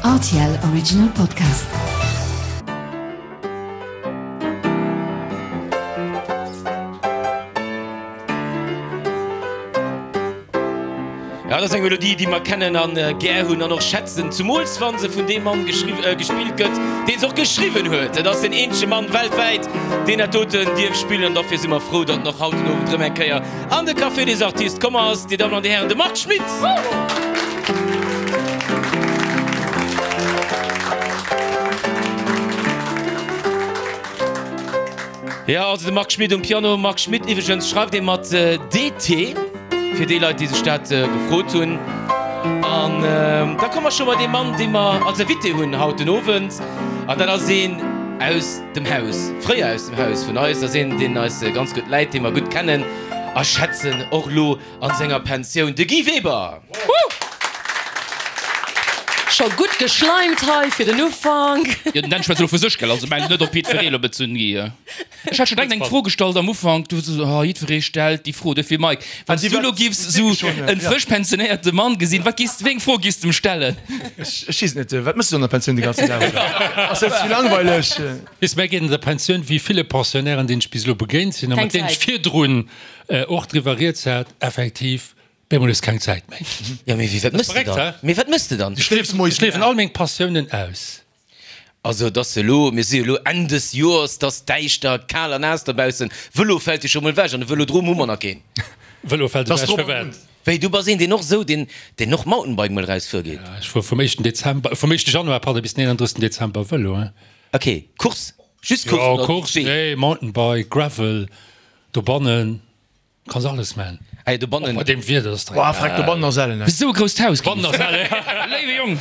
Rtl Original Podcast. Ja, dat ass eng Melodie, déi mer kennen an gär hunn an och schätzen, zumools wa se vun deem Mann gespillt gëtt, deen se och geschriwwen huet. Et ass den eenzege Mann weltwäit, deen dat doten dierf spillen an dofir si mer frou, datt en och haut den Owend erëm eng Kéier an de Café des Artistes komm ass. Dir Dammen an Dir Hären, de Marc Schmitt! Jo, also de Marc Schmitt um Piano. Marc Schmitt iwwregens schreift ee mat DT, fir déi Leit, déi sech dat gefrot hunn. An da komme mer scho bei dee Mann, dee mer als Invité hunn haut den Owend. An dat ass een aus dem Haus, fréier aus dem Haus vun eis. Dat ass een, deen eis ganz gutt läit, dee mer gutt kennen a schätzen, och elo an senger Pensioun, de Guy Weber! Scho gutt geschleimt hei fir den Ufank. Jo, den Dan schwätzt elo vu sech, gell? Also mengt net op jiddweree elo bezunn, Guy. Ech hat scho direkt eng Fro gestallt am Ufank, du sou, oh, jiddweree stellt déi Fro. Dofir, Mike, wann s du elo giffs sou en frësch pensionéierte Mann gesinn, wat giss, wéi eng Fro giss de em stellen? Ech weess et net. Wat méchs du an der Pensioun de ganzen Dag? Ass dat ze langweileg? Weess, mär geet an der Pensioun wéi ville Pensionnairen, deenen ech bis elo begéint sinn a mat Keng deenen ech Zäit. virdrun och driwwer rieds hat, effektiv, bemol hues keng Zäit méi. Jo, mee wéi, wat mëss de dann? Mee wat mëss de dann? Ech liewen all meng Passiounen aus. Also, et ass elo, mir si jo elo Enn des Joers, et ass däischter, kal a naass dobaussen. Vëlo fält jo scho mol ewech an e Vëlodrom hu mer nach keen. Vëlo fält ewech, firwat? Wéi, du bass een, deen och esou, deen, deen och Mountainbike mol erausfuer geet? Ja, ech fuer vum éischten Dezember, vum éischte Januar, pardon, bis den 31. Dezember Vëlo, hein. Ok, Course, just Course Jo, oder Course, Wee? nee, Mountainbike, Gravel, dobannen. Kanns alles man. Ah jo, dobannen. Och bei deem Wieder ass Boah, freck, dobannen ass ellen, Esou e grousst Haus. Dobannen ass ellen. Léiwe Jong,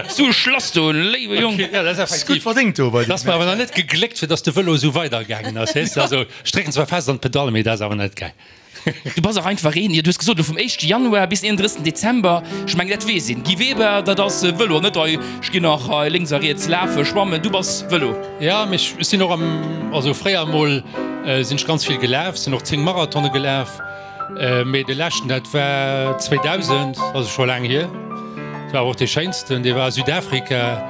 esou e Schlass do, léiwe Jong. Ja, dat ass Ass gutt effektiv. verdéngt do bei Dat ass mer awer nach net gegléckt, fir dass de Vëlo esou weidergaangen ass, weess de. Also, ech drécken zwar fest an d'Pedalle, mee dat ass awer net gaang. Du bass och einfach een, jo, du hues gesot, elo vum éischte Januar bis 31. Dezember, ech mengen, dat weess een, Guy Weber, dat ass Vëlo an net hei, ech ginn nach hei lénks a riets lafen, schwammen, du bass Vëlo. Ja, mee ech sinn och am, also fréier emol sinn ech ganz vill gelaf, sinn och 10 Marathone gelaf, mee de leschten, dat war 2000, also scho laang hier, dat war awer och dee schéinsten, dee war a Südafrika,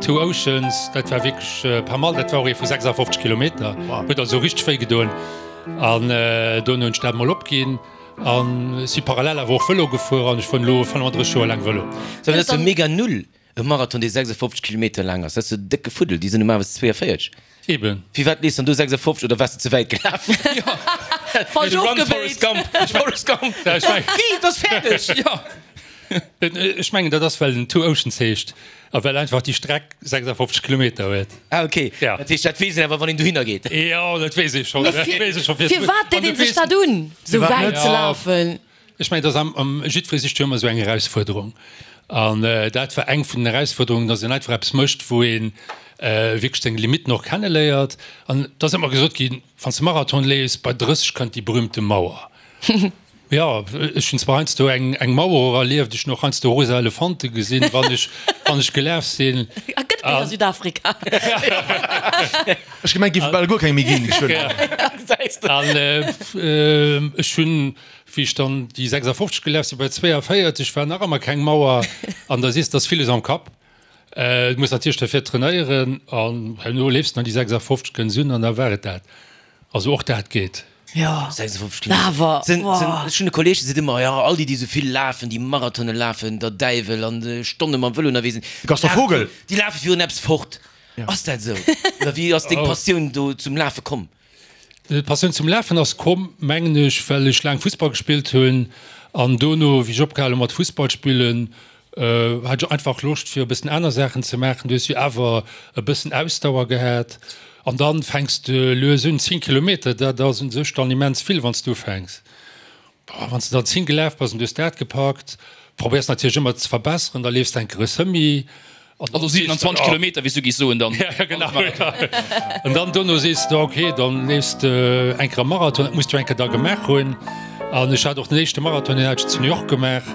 Two Oceans, dat war wierklech pas mal, dat war och ee vu 56 Kilometer, huet also richteg wéi gedoen. An dono hunn ech dat mol opginn an si parallel awer och Vëlo gefuer an ech fueren elo 35 Joer laang Vëlo. Sou, dat ass jo mega null, e Marathon dee 56 Kilometer laang ass, dat ass jo décke Fuddel, déi sinn normalerweis 42. Eben. Firwat leefs dann du 56 oder waars de ze wäit gelaf? Falsch Run ofgebéit. Forrest Gump, Forrest Gump, Guy, et ass fäerdeg! Jo. Ech mengen dat ass well en Two Oceans heescht a well einfach déi Streck 56 Kilometer huet. Ah ok, Ja. dat heescht dat weess een awer wann een dohinner geet. Jo, dat weess ee schonn. Dat weess ee scho virdrun. Firwat deet een sech dat un, sou wäit ze lafen? Ech mengen, dat ass am, am, jiddweree sicht jo ëmmer esou eng Erausfuerderung. An dat war eng vun den Erausfuerderungen, datt een einfach eppes mécht, wou ee wierklech seng Limitten och kenneléiert. An et ass ëmmer gesot ginn, wann s de Marathon leefs, bei 30 kënnt déi berühmte Mauer. Jo, ech hunn zwar heiansdo eng eng Mauer och erlieft, ech hunn och heiansdo rosa Elefante gesinn, wann ech wann ech gelaf sinn. A gëtt et déi a Südafrika? Ech gemengt, géif et bal guer keng méi ginn. An ech hunn, wéi ech dann déi 56 gelaf sinn, bei 42 war nach ëmmer keng Mauer. An da siehs de, dass villes am Kapp. Du muss natierlech derfir trainéieren an herno leefs de dann déi 56, kënns un an da war et dat. Also och dat geet. Jo, 56 Kilometer. awer, Sinn, sinn, boah. ech hunn e Kolleeg, dee seet ëmmer, jo, all déi, déi esou vill lafen, déi Marathone lafen, der Däiwel, an Stonne mam Vëlo ënnerwee sinn, De Gaston Vogel. déi lafe virun eppes fort. Ass dat esou? Oder wéi ass deng Passioun do zum Lafe komm? D'Passioun zum Lafen ass komm, mengen ech, well ech laang Fussball gespillt hunn an dono, wéi ech opgehal hu mat Fussball spillen, Hat ech einfach Loscht fir e bëssen aner Saachen ze maachen. Du hues jo awer e bëssen Ausdauer gehat an dann fänks de lues un. 10 Kilometer, dat ass un sech dann immens vill wann s du ufänks. Wann s de dann 10 gelaf bass an du hues dat gepackt, probéiers natierlech ëmmer ze verbesseren, da leefs de eng Kéier e Semi an dann Also sees de, 27 Kilometer, wéi s du géifs soen dann. Ja, genau. An dann dono sees de, ok, dann leefs de eng Kéier e Marathon, dat muss du eng Kéier da gemaach hunn. An ech hat och den éischte Marathon, deen hat ech zu New York gemaach,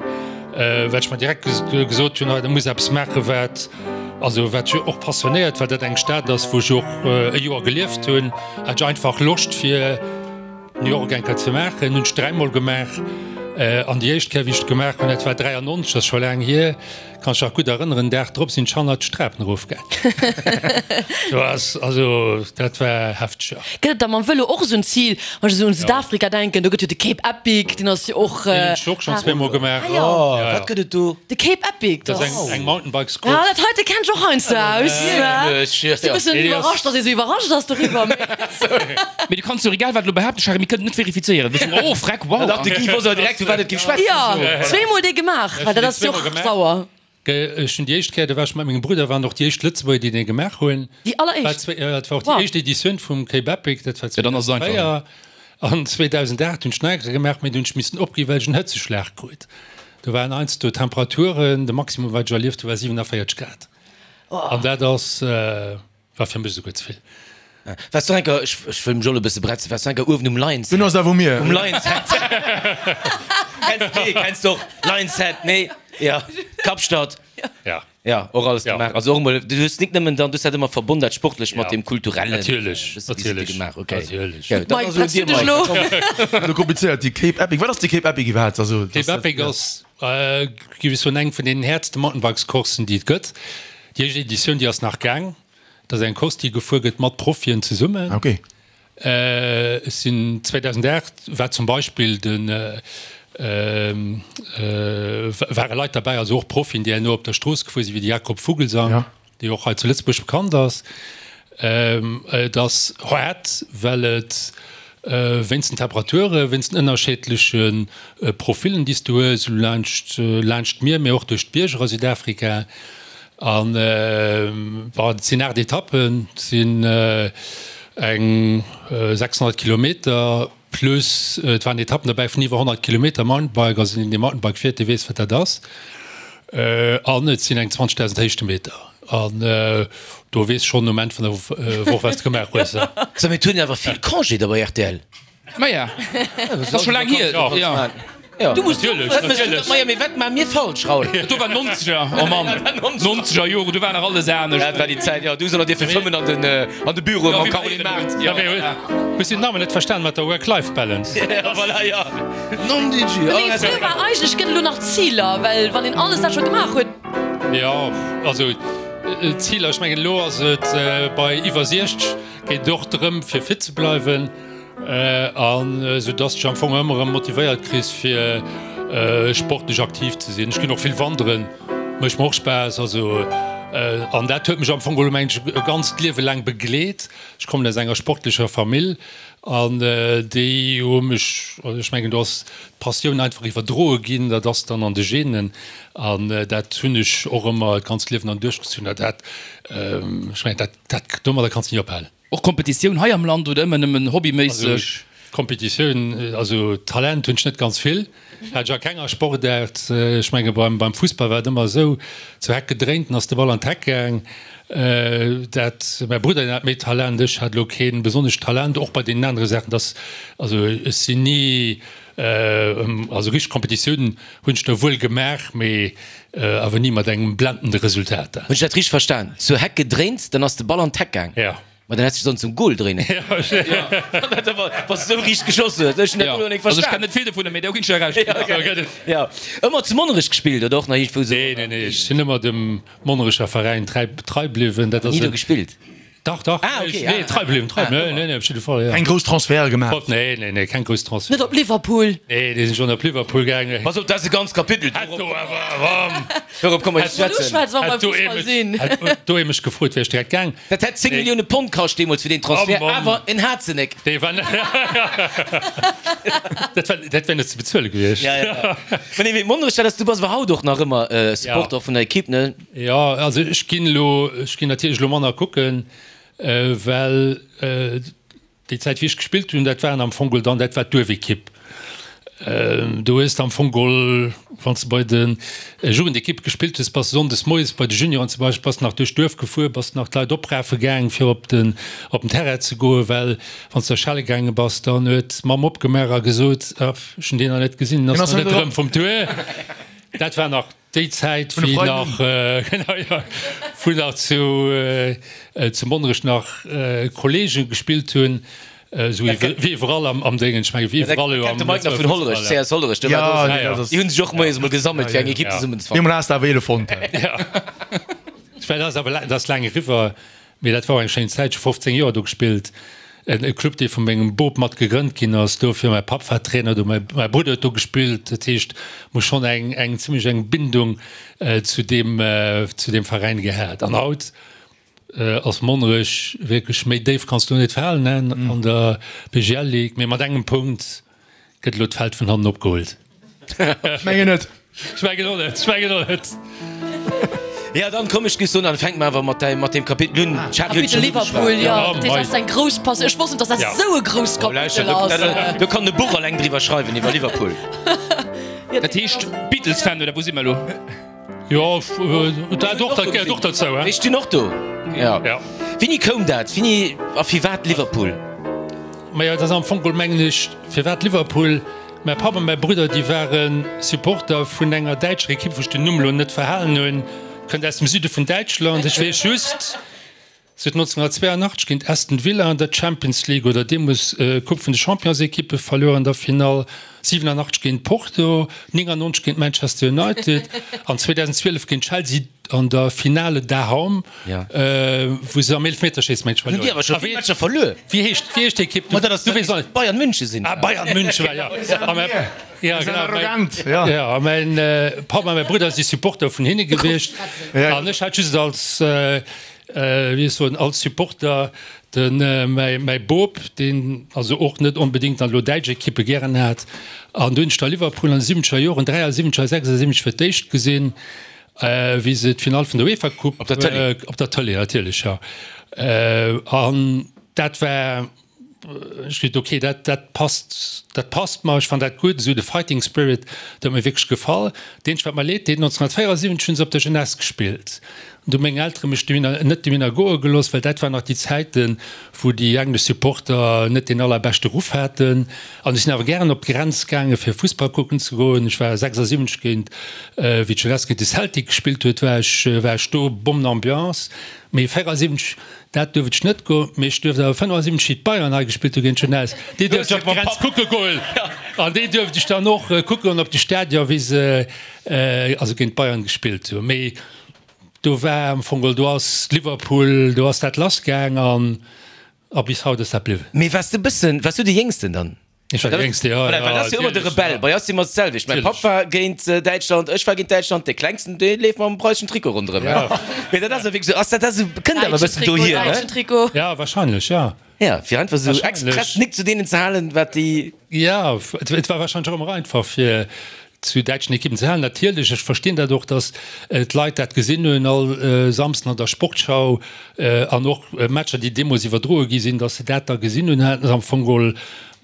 well ech mer direkt gesot hunn, hei, da muss eppes maachen, wat, also wat mech och passionéiert, well dat eng Stad ass, wou ech och e Joer gelieft hunn, hat ech einfach Loscht fir New York eng Kéier ze maachen. Hunn ech dräimol gemaach. An déi éischt Kéier, wéi ech et gemaach hunn, dat war 93, dat ass scho laang hier. Kann ech nach gutt erënneren, Dag drop sinn ech hannert d'Strapen erofgaang. Do ass, also dat war hefteg, jo. Gëtt et da mam Vëlo och esou en Zil? Wann ech esou un Südafrika denken, do gëtt jo de Cape Epic, deen ass jo och. Deen hunn ech och schonn zweemol gemaach. Ah jo. Ja, ja. Wat gëtt et do? De Cape Epic, Dat ass eng, eng Mountainbikescourse. Ah, dat heite kennt ech och heiansdo aus. Wierklech? Si e bëssen iwwerrascht, datt ee sou iwwerrascht ass doriwwer, mee. Mee du kanns jo egal wat elo behaapten, Charel, mir kënnen et net verifizéieren. Mir soen, oh freck, wow. Dach, de Guy wosst awer direkt, vu wat et géif schwätzen. Jo, zweemol dee gemaach, well dat ass jo och sauer. Ech hunn déi éischt Kéier, do war ech mat mengem Brudder, waren och déi éischt Lëtzebuerger, déi dee gemaach hunn. Déi alleréischt? Jo, dat war och déi éischt Editioun vum Cape Epic, dat war 2004. An 2008 hunn ech nach eng Kéier gemaach, mee do hunn ech missen opginn, well ech en Hëtzeschlag krut. Do waren heiansdo Temperaturen, de Maximum wat ech erlieft hu war 47 Grad. An dat ass. War fir mech esouguer ze vill. Waars du enker, ech wëll mech och e bësse bretzen, waars du enker uewen um Lions Head? Dunn ass et awer mir. Um Lions Head. Kenns nee, kenns du och Lions Head, nee? Ja, Kapstadt. Ja. Ja, och alles Ja. gemaach. Also och emol, du hues nik nëmmen dann, du hues dat ëmmer verbonn, dat Sportlecht mat deem Kulturellen. Natierlech, Bësse Visite natierlech, gemaach, okay. natierlech. Ja, dann Mike, ass elo bretz du dir, dech Mike. elo? Lo komplizéiert, déi Cape Epic. Wat ass déi Cape Epic iwwerhaapt? Also, Cape dat, Epic ass, géif ech soen, eng vun deenen häertste Mountainbikescoursen, déi et gëtt. Déi éischt Editioun, déi ass nach gaang. Dat ass eng Course, déi gefuer gëtt mat Profien zesummen. Ah, okay. Ech sinn 2008 war zum Beispill de ware Leit derbäi, also och Profien, déi herno op der Strooss gefuer sinn, wéi de Jakob Fuglsang, Ja. dee och hei zu Lëtzebuerg bekannt ass. Et ass haart, well et wéinst den Temperature, wéinst den ënnerscheedleche Profillen, déi s du hues, esou laanscht laanscht d'Mier, mee och duerch d'Bierger a Südafrika. An bon, et sinn 8 Etappen, et sinn eng 600 Kilometer plus et waren Etappen derbäi vun iwwer 100 Kilometer Mountainbike. Also deen, dee Mountainbike fiert, dee weess, wat dat ass. An et sinn eng 20.000 Héichtemeter. An do weess schonn um Enn vun der Woch, wat s de gemaach hues. So, mee et huet een awer vill Congé da bei rtl. Maja, dat ass scho laang hier. Ja. Ja. Du muss Natierlech, Wat mëss du natierlech. Maja, mee wat maache mir falsch, Raoul? Do war 90er, oh Mann, 90er Jore, do war nach alles anescht. Dat war déi Zäit, jo. Du hues och nach dierfe fëmmen an den, an de Büroe mam Caroline Mart. Ja, mee hues du den Namen net verstan mat der Work-Life-Balance? Ja, voilà, ja. Nondidjö. Mee fir war eigentlech gëtt elo nach Ziler, well wann een alles dat scho gemaach huet. Jo, also Ziler, ech mengen elo ass et bei iwwer 60 geet et och drëm fir fit ze bleiwen. An esou dass dech am Fong ëmmer erëm motivéiert kriss fir sportlech aktiv ze sinn. Ech ginn och vill wanderen, mécht mer och Spaass. Also an dat huet mech am Fong elo mengen ech e ganzt Liewe laang begleet. Ech kommen aus enger sportlecher Famill an déi hu mech, also ech mengen do ass d'Passioun einfach iwwerdroe ginn, dat ass dann an de Genen an dat hunn ech och ëmmer d'ganzt Liewen dann duerchgezunn. A dat, ech mengen dat, dat domadder kanns de ni ophalen. Och Kompetitioun hei am Land oder ëmmer nëmmen hobbyméisseg? Also Kompetitioun, also Talent hunn ech net ganz vill, hat ech a kenger Sportaart. Ech menge beim beim Fussball war et ëmmer esou, zur Heck gedréint, dann ass de Ball an d'Heck gaang. Dat mäi Brudder deen hat méi Talent, ech hat elo kee besonnescht Talent, och bei deenen anere Saachen, dass also ech sinn ni also richteg Kompetitiounen hunn ech der wuel gemaach, mee awer ni mat engem blendende Resultat. Hunn ech dat richteg verstan? Zur Heck gedréint, dann ass de Ball an d'Heck gaang? Ja. Ma dann häss de sollen zum Goal dréinen. Wann s de esou riicht geschoss hues. Ech hunn dat elo net Also ech verstan. kenn net vill dovunner, mee do ginn ech der Recht. Ja, okay. Ëmmer zu Monnerech gespillt oder och nach iergendwou esou? Nee, nee, nee, ech sinn ëmmer dem Monnerecher Veräin trei, trei bliwwen. Dat ass Ni do en. gespillt? Dach, dach. Ah, okay. Nee, trei bliwwen, trei. Nee, nee, nee, op jidde Fall, ja. Keng grouss Transferte gemaach? Nee, nee, nee, keng grouss Transferte. Net op Liverpool? Nee, déi sinn schonn op Liverpool gaangen. Pass op, dat ass e ganzt Kapitel. Hätt do awer, bam! Dorop komme mer ze schwätzen. Hätt do ee mech, hätt do ee mech gefrot, wär ech direkt gaang. Dat hätt 10 Millioune Pond kascht deemools fir deen Transfert, Oh Mann. awer en hat se nek. Dee war, dat war, dat wär net ze bezuele gewiescht. Ja, ja. Mä nee, mee Monnerech, dat ass, du bass awer haut och nach ëmmer Supporter vun der Ekipp, ne? Jo, also ech ginn elo, ech ginn natierlech elo manner kucken, well déi Zäit wéi ech gespillt hunn, dat waren am Fong geholl dann, dat war d'Duerfekipp. Do hues de am Fong geholl, wann s de bei de Jugendekippe gespillt hues, bass de sonndes moies bei de Junioren zum Beispill, bass de nach duerch d'Duerf gefuer, bass nach d'Leit oprafe gaang fir op den, op den Terrain ze goen, well wann s de schale gaange bass, dann huet d'Mamm opgemaach a gesot, Ech hunn deen nach net gesinn, en ass nach net erëm vum Tour. Dat war nach. Déi Zäit, wéi nach, genau, jo, wou nach zu, zu Monnerech nach Kollegen gespillt hunn. Esou wéi iwwerall am Déngen, ech menge wéi iwwerall elo am De Mike nach vun Hollerech, CS Hollerech, do war do, déi hunn sech och moies emol gesammelt fir eng Ekipp zesummen ze fannen. Deemol has de awer Elefonten. Ja, ech well dat ass awer dat ass laang eriwwer, mee dat war och eng schéin Zäit. Ech hu 15 Joer do gespillt, en Club dee vu mengem Bop mat gegrënnt ginn ass. Dofir, mäi Papp war Trainer do, mäi Brudder huet do gespillt. Dat heescht, muss schonn eng eng zimmlech eng Bindung zu deem zu deem Veräin gehat. An haut Ass Monnerech wierklech méi déif kanns du net falen an der BGL Ligue, mee mat engem Punkt gëtt elo d'Feld vun hannen opgeholt. Ech mengen net. Ech mengen och net, ech mengen och net. Ja dann komm ech géif soen, dann fänke mer awer mat mat deem Kapitel un. Kapitel Liverpool, jo, dat ass eng grouss Passioun. Ech wosst net, datt dat esou e grousst Kapitel ass. Do kann e Buch alleng driwwer schreiwen iwwer Liverpool. Dat heescht Beatles-Fan oder wou si mer elo? Jo, dat och, dat gehéiert och dozou, he? Ech stinn och do, jo. Wéini koum dat? Wéini a firwat Liverpool? Majo, dat ass am Fong geholl, mengen ech, firwat Liverpool? Mäi Papp a mäi Brudder, déi ware Supporter vun enger däitscher Ekipp, wou ech den Numm elo net verhalen hunn, kënnt aus dem Süde vun Däitschland. Ech weess just, Se huet 1982 géint Aston Villa an der Champions League oder deemools Coupe vun de Championsekippe verluer an der Finall, 87 géint Porto, 99 géint Manchester United an 2012 géint Chelsea an der Finale daheim, wou se am Eelefmeterschéissen mengt ech verluer hunn. Déi awer scho vill Matcher verluer. Wéi heescht wéi heescht déi Ekipp? Ma dat ass du weess och net. Bayern München sinn. Ah Bayern München war jo. Ja, genau. Arrogant, ja. Ja, mäin Papp a mäi Brudder si Supporter vun hinne gewiescht an ech hat just als Wéi ech soen, als Supporter, de mäi Bop, deen also och net onbedéngt dann elo däitsch Ekippe gären hat, an do hunn ech da Liverpool an de siwwenzeger Joren, 73 a 76 fir d'éischt gesinn, wéi se d'Finall vun der UEFA Coupe. Op der Tëlee? Op der Tëlee, natierlech, jo. An dat war. Ech gesot, ok, dat, dat passt, dat passt mer, ech fannen dat gutt, esou de Fighting Spirit, dat huet mir wierklech gefall. Dat eenzegt, wat mer leed deet, 1974 hu se op der Jeunesse gespillt, an do hu meng Eltere mech dohinner, net dohinner goe gelooss, well dat waren nach déi Zäiten, wou déi englesch Supporter net deen allerbeschte Ruff haten. An ech sinn awer gären op d'Grenz gaange fir Fussball kucken ze goen. Ech war 76 géint, wéi d'Jeunesse géint de Celtic gespillt huet, war ech, war ech do, Bommenambiance. Mee 74 Dat duerft ech net goen, mee ech duerft awer 75 wéi d'Bayern hei gespillt hu géint Jeunesse, déi duerft ech op d'Grenz kucke goen an déi duerft ech dann och kucke goen op de Stadion wéi se also géint d'Bayern gespillt hu. Mee do war am Fong geholl, do ass Liverpool, do ass dat lass gaang an a bis haut ass dat bliwwen. Mee waars de bëssen, waars du de Jéngsten dann? Ech war de Jéngste, jo. Voilà, well dat ass jo ëmmer de Rebell. Bei eis si mer d'selwecht. Mäi Papp war géint Däitschland, ech war géint Däitschland. Dee Klengsten, dee leeft mam preiseschen Trikot ronderëm. Mee dat ass jo wierklech esou. Ass dat dat esou, kënnt awer e bëssen dohier, ne? Däitschen Trikot. Ja, wahrscheinlech, ja. Ja, fir einfach esou express nik zu deenen ze halen, wat déi. Ja, et war wahrscheinlech och ëmmer einfach, fir zu däitschen Ekippen ze halen. Natierlech, ech verstinn dat och, datt d'Leit dat gesinn hunn all Samsden an der Sportschau an och Matcher, déi deemools iwwerdroe gi sinn, datt se dat da gesinn hunn, haten se am Fong geholl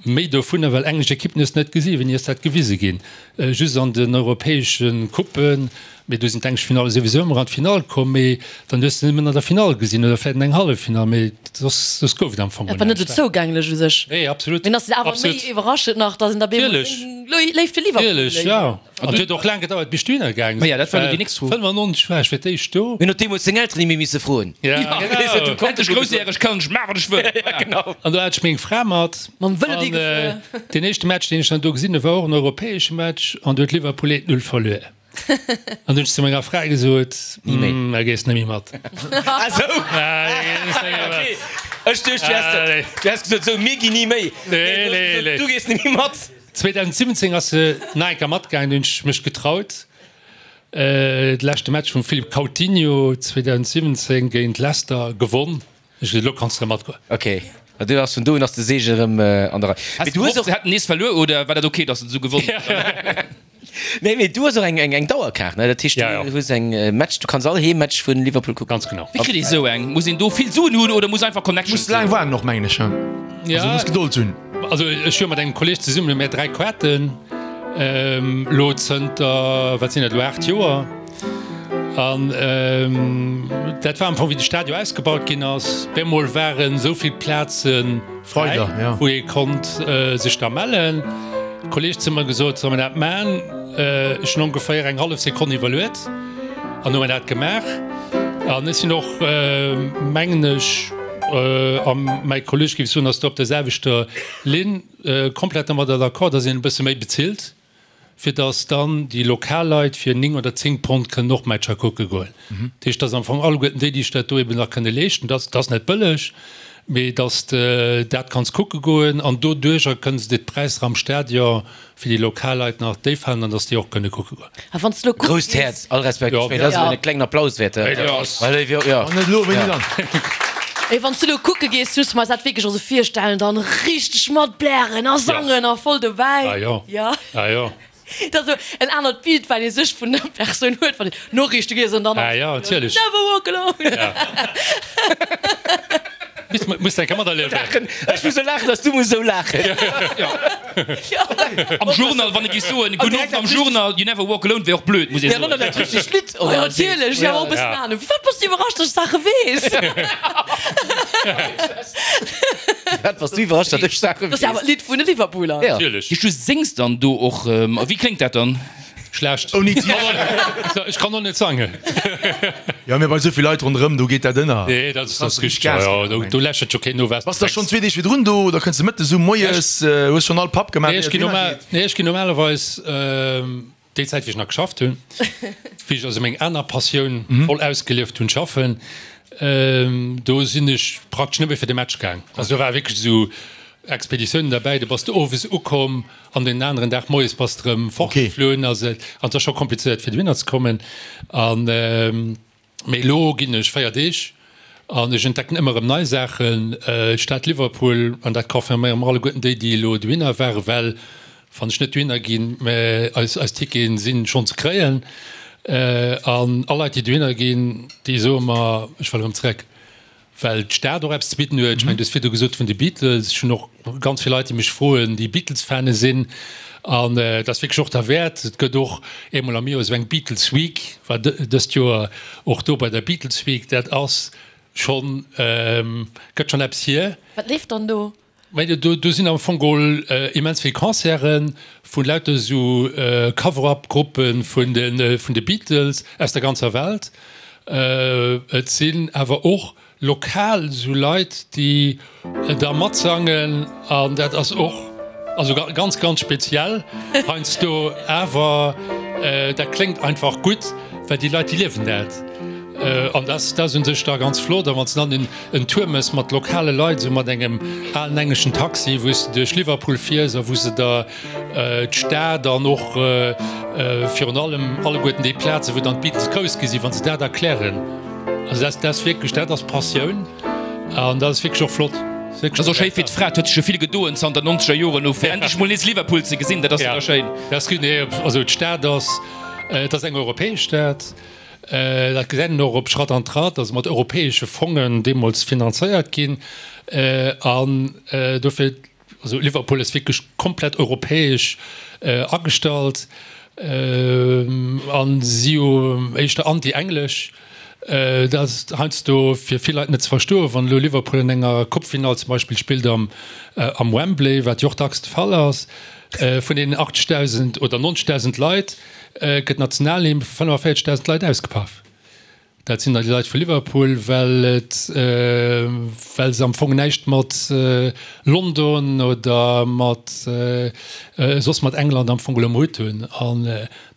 méi dovunner, well englesch Ekippen hues de net gesinn, wéini ass dat gewise ginn? Just an den europäesche Couppen. Mee do sinn d'englesch Finalle souwisou ëmmer an d'Finall komm, mee dann hues de nëmmen an der Finall gesinn oder vläicht an eng Halleffinall, mee soss, soss gouf et am Fong Dat war net esou näischt. zougänglech u sech. Nee, absolut. Mee dann ass et awer méi Absolut. iwwerraschend nach, datt een da bemol Natierlech. seng Léift fir Liverpool Natierlech, léiert. jo. An et huet och laang gedauert, bis ech dohinner gaange Ma sinn. ja, dat war elo déi nächst Fro. 95 war ech fir d'éischt do. Mir hunn och deemools seng Elteren ni méi misse froen. Ja, genau. Endlech groussjäreg, kann ech maachen, wat ech wëll. Ja, genau. An do hat ech meng Fra mat. Mam Vëlo An dee gefuer. deen éischte Match, deen ech dann do gesinn hunn, war och en europäesche Match an do huet Liverpool 1-0 verluer. An hunn ech zu menger Fra gesot, Ni méi. Da gees net méi mat. Ah sou? Okay. Ech duecht, du häss, du häss gesot, sou, mir ginn ni méi. Nee, nee, nee. Du gees net méi mat. 2017 ass se nach eng Kéier matgaangen, do hunn ech mech getraut. De leschte Match vum Philippe Coutinho 2017 géint Leicester gewonn. Ech gesot, elo kanns de erëm matgoen. Ok, ma du ass vun do un ass de Seege erëm an der Rei. Has Mee du du hues gehofft, och. se hätten nees verluer oder war dat ok, datt se esou gewonnen hunn? Nee, mee du hues och eng eng Dauerkaart, ne? Dat heescht, Ja, ja. du hues eng Match, du kanns all Heemmatch vun Liverpool kucken. Ganz genau. Wéi kritt ee sou eng? Muss een do vill Suen hunn oder muss einfach Connections Muss laang hunn? waarden och, mengen ech. Ja. Also muss Gedold hunn. Also ech hu mat engem Kolleg zesummen hu mär 3 Kaarten, elo zënter, wat sinn dat elo, 8 Joer. An dat war am Fong wéi de Stadion ausgebaut ginn ass. Bemol waren esou vill Plaze fräi, wou ee konnt sech da mellen. De Kolleg zu mer gesot, solle mer dat man? Ech hunn ongeféier eng hallef Sekonn iwwerluet an hu mer dat gemaach. An ech sinn och, mengen ech. a mäi Kolleg géif soen, ass do op der selwechter Linn, komplett domadder d'accord, datt een e bësse méi bezilt, fir datt dann déi lokal Leit fir 9 oder 10 Pond kënnen och Matcher kucke goen. Dat heescht, datt am Fong alleguerten déi, déi sech dat do eben nach kënne leeschten, dat ass net bëlleg, mee datt de dat kanns kucke goen an doduercher kënne se de d'Präisser am Stadion fir déi lokal Leit nach déif halen an datt déi och kënne kucke goen. A wann s de elo kucke Grousst gees. Häerz, all Respekt. Ech mengen, dat ass elo e klengen Applaus wäert. Wann net elo, wéini dann? Mee wann s du elo kucke gees, muss mer eis dat wierklech och esou virstellen, dann richteg mat blären a sangen a voll dobäi. Ah jo, Ja. ah jo. Dat ass esou en anert Bild, wat ee sech vun der Persoun huet, wann een d'Noriichte liest an dann Ah jo, natierlech. Never walk alone. Ja. Muss, muss eng Kéier materliewen. Ech muss esou laachen, dass du muss esou laachen. Am Journal, wann e géif soen, Gudden Owend am Journal, You never walk alone wär och blöd, muss ee soen. Dat richtegt Lidd, oder? Ja, natierlech, jo, och e bëssen Ahnung. Firwat bass du iwwerrascht, dass ech Saache weess? Firwat bass du iwwerrascht, datt ech Saache weess? Dat ass jo awer d'Lidd vun de Liverpooler. Ja. Natierlech. Du séngs dann do och, a wéi kléngt dat dann? Schlecht. Ouni Tisch. Ech kann och net sangen. Jo, mee bei esou vill Leit ronderëm, do geet dat ënner. Nee, dat ass richteg. Jo, jo, do lächelt jo keen no, wat Bass da schonn zwee Deeg virdrun do oder kënns de mëttes um, moies, hues schonn all Papp gemaach, Nee, ech ier et ginn dohinner geet? nee, ech ginn normalerweis déi Zäit, wéi ech nach geschafft hunn, wéi ech also meng aner Passioun voll ausgelieft hunn, schaffen, do sinn ech praktesch nëmme fir de Match gaang. Also do war wierklech esou Expeditiounen derbäi, do bass de owes ukomm, An den aneren Dag moies bass de rëm fortgeflunn. Also an et ass scho komplizéiert fir dohinner ze kommen. An mee elo ginn ech 4 Deeg an ech entdecken ëmmer erëm nei Saachen. D'Stad Liverpool, an dat confirméiere mer alleguerten déi, déi elo dohinner waren, well wann ech net dohinner ginn, mä eis eis Ticketen sinn schonn ze kréien. An all Leit déi dohinner ginn, déi soe mer, ech wëll erëm zeréck. Well d'Stad och eppes ze bidden huet. Ech mengen, du hues virdu gesot vun de Beatles. Ech hunn och ganz vill Leit, déi mech froen, déi Beatles-Fane sinn. An et ass wierklech och derwäert. Et gëtt och eemol am Joer esou eng Beatles Week, war dëst Joer och do bei der Beatles Week. Dat ass schonn, gëtt schonn eppes hier. Wat leeft dann do? Mä do, do sinn am Fong geholl immens vill Concerte vu lauter esou Cover-up-Gruppe vun de, vun de Beatles aus der ganzer Welt. Et sinn awer och lokal esou Leit, déi da matsangen an dat ass och also ganz, ganz speziell heiansdo. Awer dat kléngt einfach gutt, well déi Leit, déi liewen dat. An dat ass un sech da ganz flott. A wann s de dann en Tour mëss mat lokale Leit, esou mat engem alen engleschen Taxi, wou s de duerch Liverpool fiers a wou se der d'Stad an och virun allem alleguerten déi Plazen, wou dann d'Beatles grouss gi sinn, wa se dat erklären, also dat ass wierklech, dat ass Passioun an dat ass wierklech och flott. Dat ass och schéi fir d'Fra, et huet sech jo vill gedoen zanter nonzeger Joren u fir endlech mol nees Liverpool ze gesinn, dat ass jo da schéin. Dat ass gutt, nee, also d'Stad ass, et ass eng europäesch Stad. Dat gesäit een och op Schratt an Tratt, ass mat europäesche Fongen deemools finanzéiert ginn. An dofir, also Liverpool ass wierklech komplett europäesch agestallt a si jo éischter anti-englesch. Dat ass heiansdo fir vill Leit net ze verstoen, wann elo Liverpool an enger Coupe-Finall zum Beispill spillt am Wembley, wat jo och dacks de Fall ass, vun deenen 80.000 oder 90.000 Leit, gëtt d'Nationalhymn vu 45.000 Leit ausgepaff. Dat sinn dann déi Leit vu Liverpool, well et, well se am Fong näischt mat London oder mat soss mat England am Fong elo am Hutt hunn. An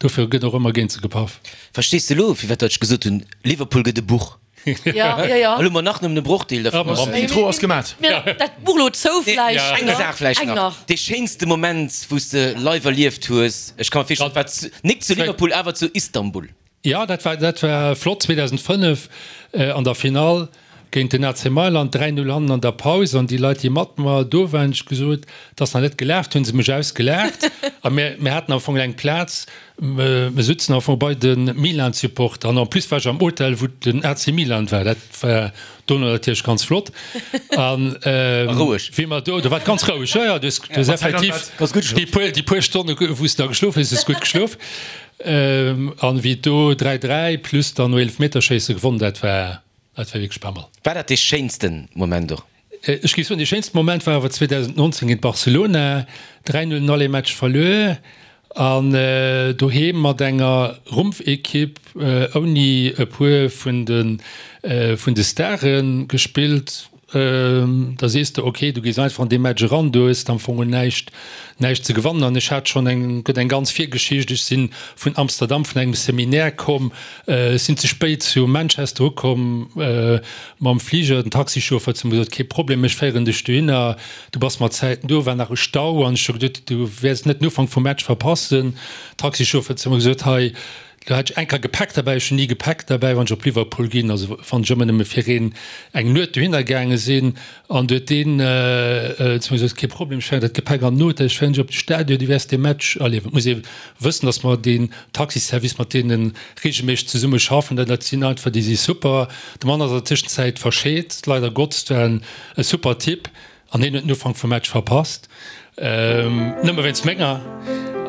dofir gëtt och ëmmer géint se gepaff. Verstees de elo, firwat datt ech gesot hunn, Liverpool gëtt e Buch? Ja, ja, ja. Elo mer nach nëmmen e Brochdeel dervun. An d'Intro ass gemat. Dat Buch elo zou vläicht. Eng Saach vläicht nach, dee schéinste Moment, wou s de live erlieft hues, ech ka mer virstellen, et war nik zu Liverpool, awer zu Istanbul. Jo, dat war, dat war flott 2005 an der Finall géint den AC Mailand, 3, 0 hannen an der Paus an déi Leit, déi mat mer do waren, ech gesot, et ass nach net gelaacht, hu se mech ausgelaacht a mir, mir haten am Fong eng Plaz, Mir sutzen am Fong bei de Milan-Supporter an en plus war ech am Hotel wou den AC Milan war. Dat war dono natierlech ganz flott an roueg. Wéi mer do, do war et ganz roueg, jo jo, du hues effektiv déi puer, déi puer Stonne wou s de da geschlof hues, hues gutt geschlof. An wéi et do 3, 3 plus dann no Eelefmeterschéisse gewonnen, dat war, dat war wierklech pas mal. War dat dee schéinsten Moment och? Ech géif soen, dee schéinste Moment war awer 2019 géint Barcelona, 3, 0 den Aller-Match verluer an doheem mat enger Rumpfekipp ouni e puer vun de vun de Stare gespillt. Da sees de, ok, du gees einfach an dee Match eran, du hues am Fong näischt, näischt ze gewannen. An ech hat schonn eng, gëtt eng ganz Virgeschicht, ech si vun Amsterdam vun engem Seminaire komm, ech sinn ze spéit zu Manchester ukomm mam Fliger, den Taxichauffeur huet zu mir gesot, kee Problem, ech féieren dech dohinner, du bass mat Zäiten do, war nach e Stau an ech hu geduet, du wäers net den Ufank vum Match verpassen. Taxichauffeur huet zu mir gesot, hei, Do hat ech eng Kéier Gepäck derbäi, ech hunn ni Gepäck derbäi, wann ech op Liverpool ginn, also wann ech ëmmer nëmme fir een eng Nuet dohinner gaange sinn. An du huet deen zu mir gesot, kee Problem, ech féieren dat Gepäck an den Hotel, ech féieren dech op de Stadion, du wäers dee Match erliewen. Et muss ee wëssen, datt mer deen Taxiservice, mat deene reegelméisseg zesumme schaffen, dat sinn einfach, déi si super. De Mann ass an der Tëschenzäit verscheet, leider Gottes, war e super Typ. An hien huet den Ufank vum Match verpasst, nëmme wéinst menger.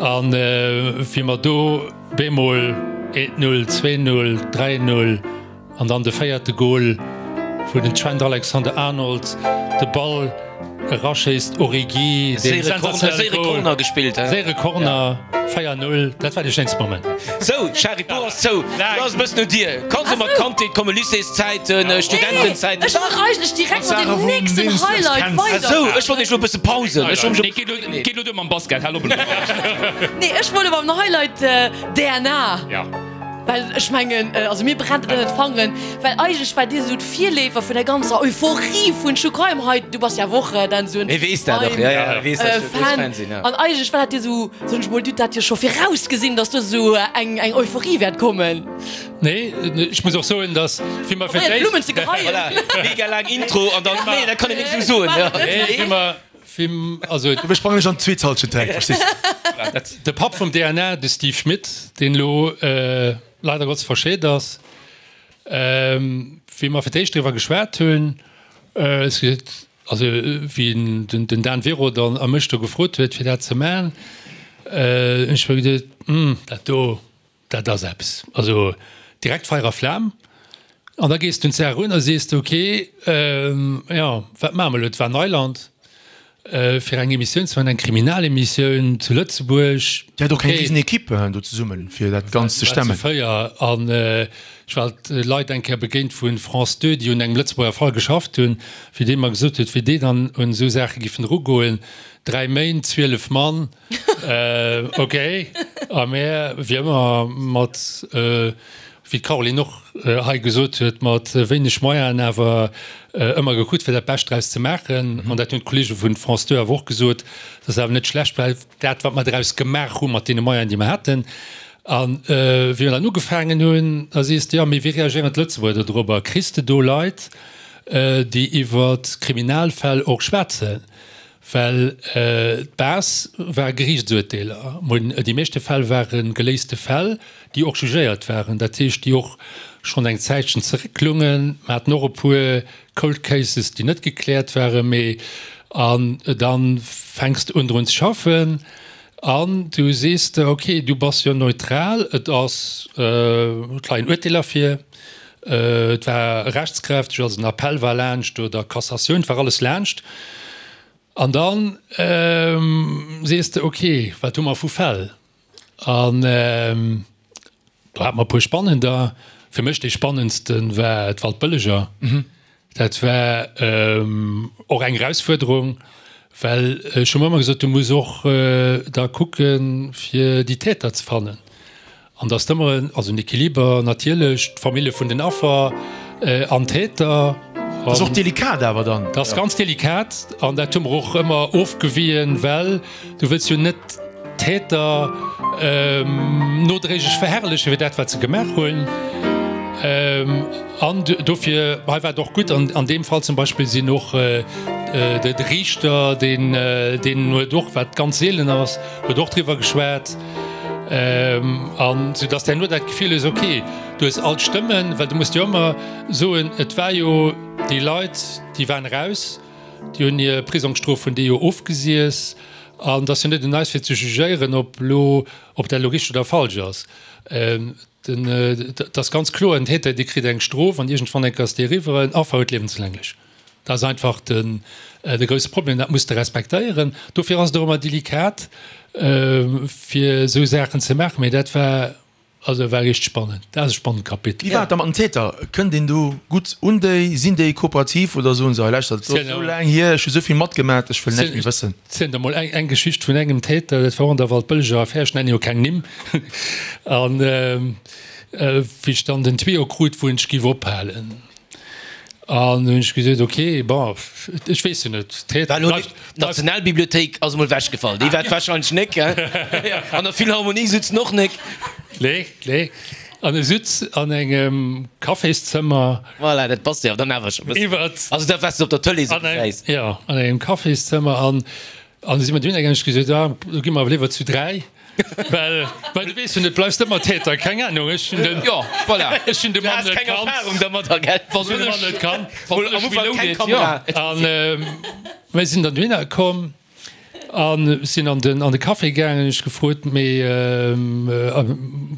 An wéi mer do bemol 1, 0, 2, 0, 3, 0 an dann de véierte Gol, wou den Trent Alexander-Arnold de Ball eraschéisst, Origi, dee sensationelle Gol, séiere Corner, 4, 0, dat war dee schéinste Moment. Sou, Shari, d'Buch ass zou. Lo ass e bëssen un dir. Kanns och mat Kandheet kommen, Lycéeszäiten, Studentenzäiten. Ech wollt eigentlech direkt mat dem nächsten Highlight weider. Sou, ech wollt iech lo e bësse Pausen. Ech Nee, geet lo, geet lo duer mam Basket, hal op elo. Nee, ech wollt mam Highlight DNA. Well ech mengen, also mir brennt et ënnert d'Fangeren, well eigentlech war dir esou d'Virleefer vun der ganzer Euphorie vun True Crime hei. Du bass jo awer och dann esou en Crime Fan. An eigentlech war dat dir esou, soen ech mol, du hutt dat jo scho virausgesinn, datt do esou eng eng Euphorie wäert kommen. Nee, ech muss och soen, datt wéi mer fir d'éischt. Blummen ze geheien. Voilà, mega laang Intro an dann, nee, dat kann een nix esou soen. Nee, wéi mer, wéi, also. Ech sprangen ech an d'zweet Halschent direkt, verstees de? De Papp vum DNA, de Steve Schmit, deen elo leider Gottes verscheet ass, wéi mer fir d'éischt driwwer geschwat hunn, ech gesot, also wéi den Dan Vero dann a mech do gefrot huet fir dat ze man, hunn ech mer geduet, hm, dat do, Dat ass eppes. Also direkt Feier a Flam. An da gees du un d'Saach erun a sees de, ok, jo, wat maache mer elo? Et war Neiland fir eng Emissioun ze maachen, eng Kriminalemissioun zu Lëtzebuerg. Dir hat och eng risen Equipe do zesummen, fir dat Ganzt ze stemmen. War zu 4. An ech war Leit eng Kéier begéint vu France 2, déi un engem Lëtzebuerger Fall geschafft hunn, wéi dee mer gesot huet, wéi déi dann un esou Saache giffen erugoen, 3 Méint, 12 Mann. Ok, a mär, wéi ëmmer, mat, wéi d'Caroline och hei gesot huet, mat wéineg Moyenen awer ëmmer gekuckt, fir dat Bescht draus ze maachen. An dat hunn d'Kollege vun France 2 awer och gesot, dass awer net schlecht war, dat, wat mer draus gemaach hu mat deene Moyenen, déi mer haten. A wéi mer dann ugefaangen hunn, da sees de, jo, mee wéi reagéieren d'Lëtzebuerger dodrobber? Kriss de do Leit, déi iwwer Kriminalfäll och schwätzen? Well d'Base war Geriichtsurteeler. Déi meeschte Fäll ware geléiste Fäll, déi och jugéiert waren, dat heescht, déi och schonn eng Zäitchen zerécklungen. Mer haten och e puer Cold Cases, déi net gekläert waren. Mee an da fänks de un drun ze schaffen an du sees der, okay, du bass jo neutral, et ass, et leien Urteeler vir, et war rechtskräfteg, also den Appell war laanscht oder Cassatioun, et war alles laanscht. An da sees de, ok, wat hu mer vu Fäll? An do hate mer e puer spannender. Fir mech dee spannendste war d'Waldbëlleger. Dat war och eng Erausfuerderung, well ech hu mer ëmmer gesot, du muss och da kucken, fir déi Täter ze fannen. An datt ëmmer en, also en Equiliber natierlech, d'Famillje vun den Affer an d'Täter. Dat ass och delikat awer dann. Dat ass ganz delikat an dat hu mer och ëmmer ofgewien, well du wëlls jo net d'Täter nodréiglech verherrlechen fir dat wat se gemaach hunn. An dofir hei war et och gutt, an deem Fall zum Beispill sinn och de Riichter, deen deen huet och, wat ganz seelen ass, huet och driwwer geschwat. An sou datt herno dat Gefill hues, ok, du hues all d'Stëmmen, well du muss jo ëmmer soen, et war jo déi Leit, déi waren eraus, déi hunn hir Prisongsstrof hunn déi jo ofgesiess. An et ass jo net un eis fir ze jugéieren, ob elo, ob dat elo richteg oder falsch ass. Den, et ass ganz kloer, en Täter, dee kritt eng Strof an iergendwann eng Kéier ass déi eriwwer, en Affer huet liewenslänglech. Dat ass einfach den, de grousse Problem, dat muss de respektéieren. Dofir ass et och ëmmer delikat, fir esou Saachen ze maachen. Mee dat war. Also war richteg spannend. Dat ass e spannend Kapitel. Wéi war et da mat den Täter? Kënnt een do gutt un déi? Sinn déi kooperativ oder soen se, hei lauschtert, et ass esou laang hier, ech hu esou vill matgemat, ech wëll näischt méi wëssen? Zielen der mol eng Geschicht vun engem Täter, dat war och an der Waldbëlleger Affär, ech nennen jo keng Nimm. An wéi ech dann den Tuyau krut, wou ech giff ophalen, An hunn ech gesot, ok, bon, ech weess jo net. War elo d'Nationalbibliothéik ass emol ewechgefall, déi war et warscheinlech nek, he? An der Philharmonie sutzen och nek. Nee, nee. An e sutz an engem Cafészëmmer. Voilà, dat passt jo dann awer scho bëssen. Iwwert. Also dat, wat s de op der Tëlee sou gesäis. Jo, an engem Cafészëmmer. An du si mer dunn eng, ech gesot, ah, do gi mer awer léiwer zu 3. Well, well du weess jo net, bleifs de ëmmer Täter, keng Ahnung, ech hunn den, Jo, voilà. ech hunn de Du Mann has net keng kannt. Erfahrung dermadder, gell? Wann Ech hunn de Mann net kannt. Wann Am ech Ufank keng reloaded, Kamera. jo. An mir sinn dann dohinner komm a sinn an den, an de Café gaangen. Ech gefrot, mee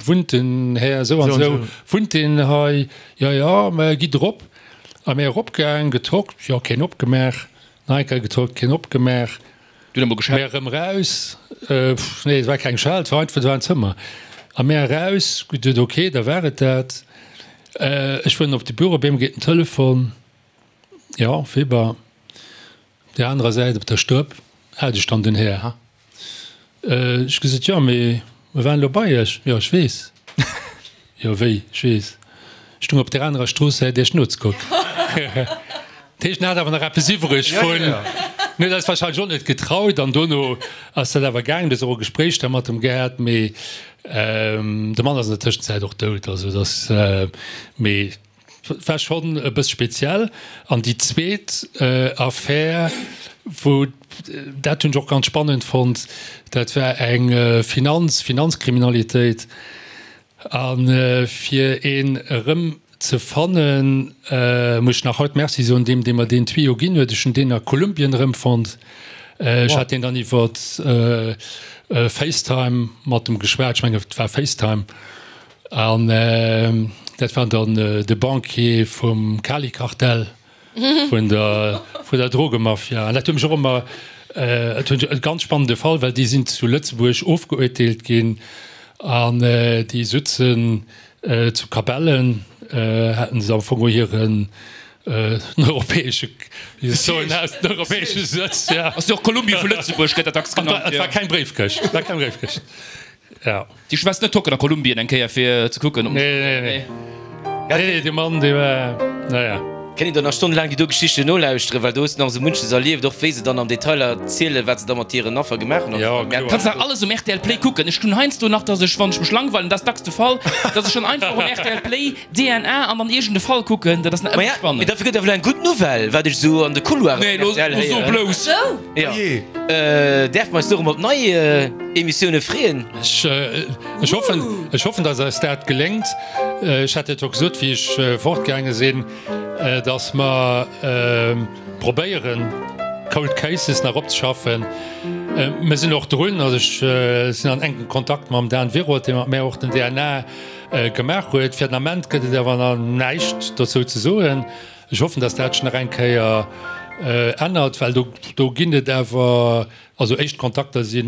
wunnt den Här esou an esou, wunnt deen hei? Jo, jo, mä gitt erop. A mir eropgaang, getockt, jo, keen opgemaach. Nach eng Kéier getockt, keen opgemaach. Du hutt emol geschellt? Mär erëm eraus, nee et war keng Schell, et war einfach, et war en Zëmmer. A mär eraus, geduet, ok, da war et dat. Ech fueren op de Büro, op eemol geet den Telefon, jo, Weber. Op där anerer Säit op der Strëpp hat ech dann den Här. Ech gesot, jo, mee mer waren elo bei iech. Jo, ech weess. Jo, wéi, ech weess. Ech stung op der anerer Stroosssäit iech nozekucken. Dat heescht, en hat awer nach eppes iwwreg vun. En huet eis warscheinlech och net getraut an dono ass dat awer gaangen. Du hues och e Gespréich da mat em gehat, mee de Mann ass an der Tëschenzäit och dout. Also et ass, mee. War schonn e bësse speziell. An déi zweet Affär, wou, dat hunn ech och ganz spannend fonnt, dat war eng Finanz, Finanzkriminalitéit. A fir een erëm ze fannen, muss ech nach haut Merci soen deem, dee mer deen Tuyau ginn huet. Ech hunn deen a Kolumbien erëmfonnt. Ech hat deen dann iwwer Facetime mat em geschwat, ech mengen et war Facetime. An dat war dann de Banquier vum Cali-Kartell, vun der, vun der Drogemafia. An dat huet mech och ëmmer, et huet e ganz spannende Fall, well déi sinn zu Lëtzebuerg ofgeuerteelt ginn an déi sutzen zu Kabellen, haten se am Fong och hiren europäesche, wéi se soen, den europäesche Sëtz, ja. Ass jo och Kolumbie vu Lëtzebuerg, gëtt dat dacks genannt, jo. Et war keng Bréifkëscht, et war keng Bréifkëscht. Ja. Déi Schwätzt net Tocken a Kolumbien eng Kéier fir ze kucken. Nee, nee, nee. Nee, nee, dee Mann, dee war, naja. Kéint een do nach stonnelaang déi do Geschichten nolauschteren, well do hues de nach esou munches erlieft, och wéi se dann am Detail erzielen, wat se da mat hiren Affer gemaach hunn. Jo, kloer. Kanns nach alles um rtl Play kucken. Ech hunn heiansdo nach, dass ech, wann ech mech langweilen, dat ass dacks de Fall, dass ech dann einfach um rtl Play DNA an dann iergend e Fall kucken. Dat ass nach ëmmer spannend. Mee dafir gëtt awer elo eng gutt Nouvelle, wat ech esou an de Couloiren Nee, vun rtl lo so héieren. blouss. Jo. Däerfe mer eis dorëm op nei Emissioune freeën? Ech hoffen, ech hoffen, datt eis dat geléngt. Ech hat dat jo gesot, wéi ech fortgaange sinn, datt mer probéieren, Cold Cases nach opzeschaffen. Mir sinn och drun, also ech sinn an enkem Kontakt mam Dan Wiroth, dee mat mär och den DNA gemaach huet. Fir den Ament gëtt et awer nach näischt dozou ze soen. Ech hoffen, datt dat sech nach eng Kéier ännert, well do, do ginn et awer, also éischt Kontakter si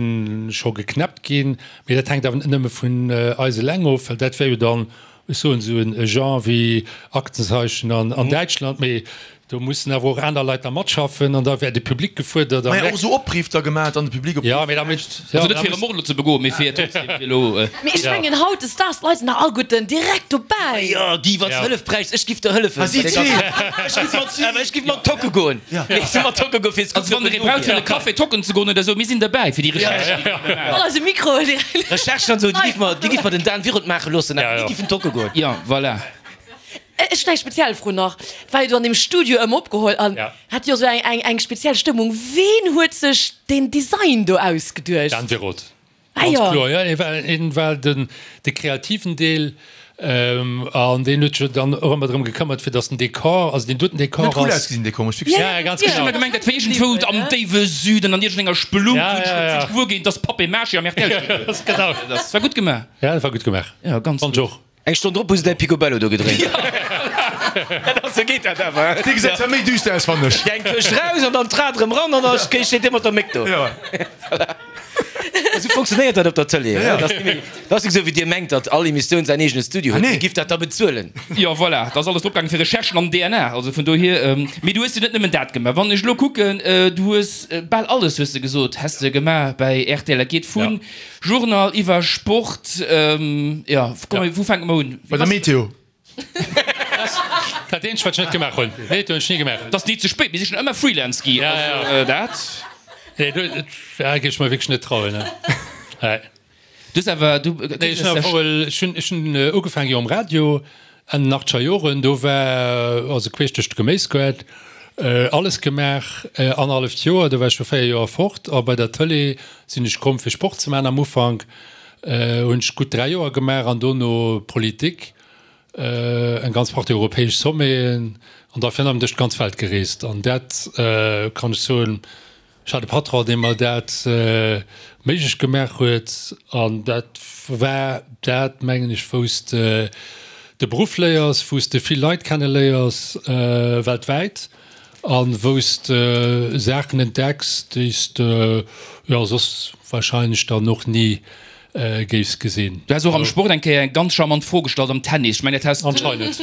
scho geknäppt ginn, mee dat hänkt awer net nëmme vun eis eleng of, well dat wär jo dann, ech soen esou en Genre wéi Aktenzeichen an Däitschland, mee do mussen awer och aner Leit da matschaffen an da wär de Public gefuerdert. Maja, och esou Opriff da gemaach, dann de Public op. Ja, mee da Also net fir e Mord elo ze begoen, mee fir trotzdem fir elo. Mee ech mengen hautdesdaags, d'Leit sinn nach alleguerten direkt dobäi. Jo, Guy, wann s de Hëllef bräichs, ech giff der hëllefen. Si Ech giff mat, awer ech giff mat tocke goen. Ech giff mat tocke goen, fir ze Also wann der ee braucht fir an e Café tocken ze goen oder esou, mir sinn derbäi fir déi Recherche. Mat eisem Mikro direkt. Recherchen an esou, déi giff mer, déi giff mer den Dan Wiroth maache loossen, awer mir giffen tocke goen. Jo, voilà. Ech hunn eng speziell Fro nach. Et war jo do an deem Studio ëm opgeholl an hat jo esou eng eng speziell Stëmmung. Ween huet sech deen Design do ausgeduecht? Dan Wiroth. Ah Ganz jo. kloer, jo. Hie war, hien war den, de kreativen Deel an deen huet sech dann och ëmmer drëm gekëmmert, fir datt den Dekor, also deen doten Dekor Huet cool ass. ausgesinn, dee komesch, wierklech. Ja, ganz Ech hunn genau. ëmmer gemengt, dat wär iergendwou am déiwe Süden an iergendenger Spelunk, Ja, hunn ech ja, ja. sech gewuer ginn, dass Papier-Mâché am RTL-Studio. Ganz genau. Dat war gutt gemaach. Ja, dat war gutt gemaach. Ja, ganz Fand gutt. ech och. Eng Stonn drop hu se däi Picobello do gedréint. Sou geet dat awer. Dee gesäit zwar méi düster aus, fannen ech. Déi eng Këscht raus an dann d'Rad erëm ran an da steet dee mat der Méck do. Jo. Voilà. Esou funktionéiert dat op der Tëlee. Dat ass net méi, dat ass nik esou wéi dir mengt, datt all Emissioun säin eegene Studio huet. Dir giff dat da bezuelen. Jo, voilà, da ass alles dropgaangen fir Recherchen an DNA. Also vun dohier, mee du hues jo net nëmmen dat gemaach. Wann ech elo kucken, du hues bal alles, hues de gesot, häss de gemaach bäi rtl. Dat geet vu Journal iwwer Sport, jo, komm, wou fänke mer un? Bei der Meteo. Dat eenzegt wat ech net gemaach hunn, Meteo hunn ech ni gemaach. Et ass ni ze spéit, mir si schonn ëmmer Freelance gi, also dat. Nee, do géif ech mer wierklech net trauen. Nee. Du hues awer, du. Nee, ech hunn awer, ech hunn, ech hunn ugefaangen jo um Radio Enn den achtscher Joren, do war also queesch duerch de Geméisgaart alles gemaach, annerhalleft Joer, do war ech scho 4 Joer fort a bei der Tëlee sinn ech komm fir Sport ze maachen am Ufank. Hunn ech gutt 3 Joer gemaach an dono Politik, eng ganz Partie europäesch Sommeten an da virun allem duerch d'ganz Welt gereest. An dat kann ech soen, ech hat e Patron, dee mer dat méiglech gemaach huet an dat war dat, mengen ech, wou s de de Beruff léiers, wou s de vill Leit kenneléiers weltwäit. A wou s de Saachen entdecks, déi s de jo soss wahrscheinlech dann och ni géifs gesinn. Du has och am Sport eng Kéier eng ganz charmant Fro gestallt am Tennis. Ech mengen, dat has. Anscheinend.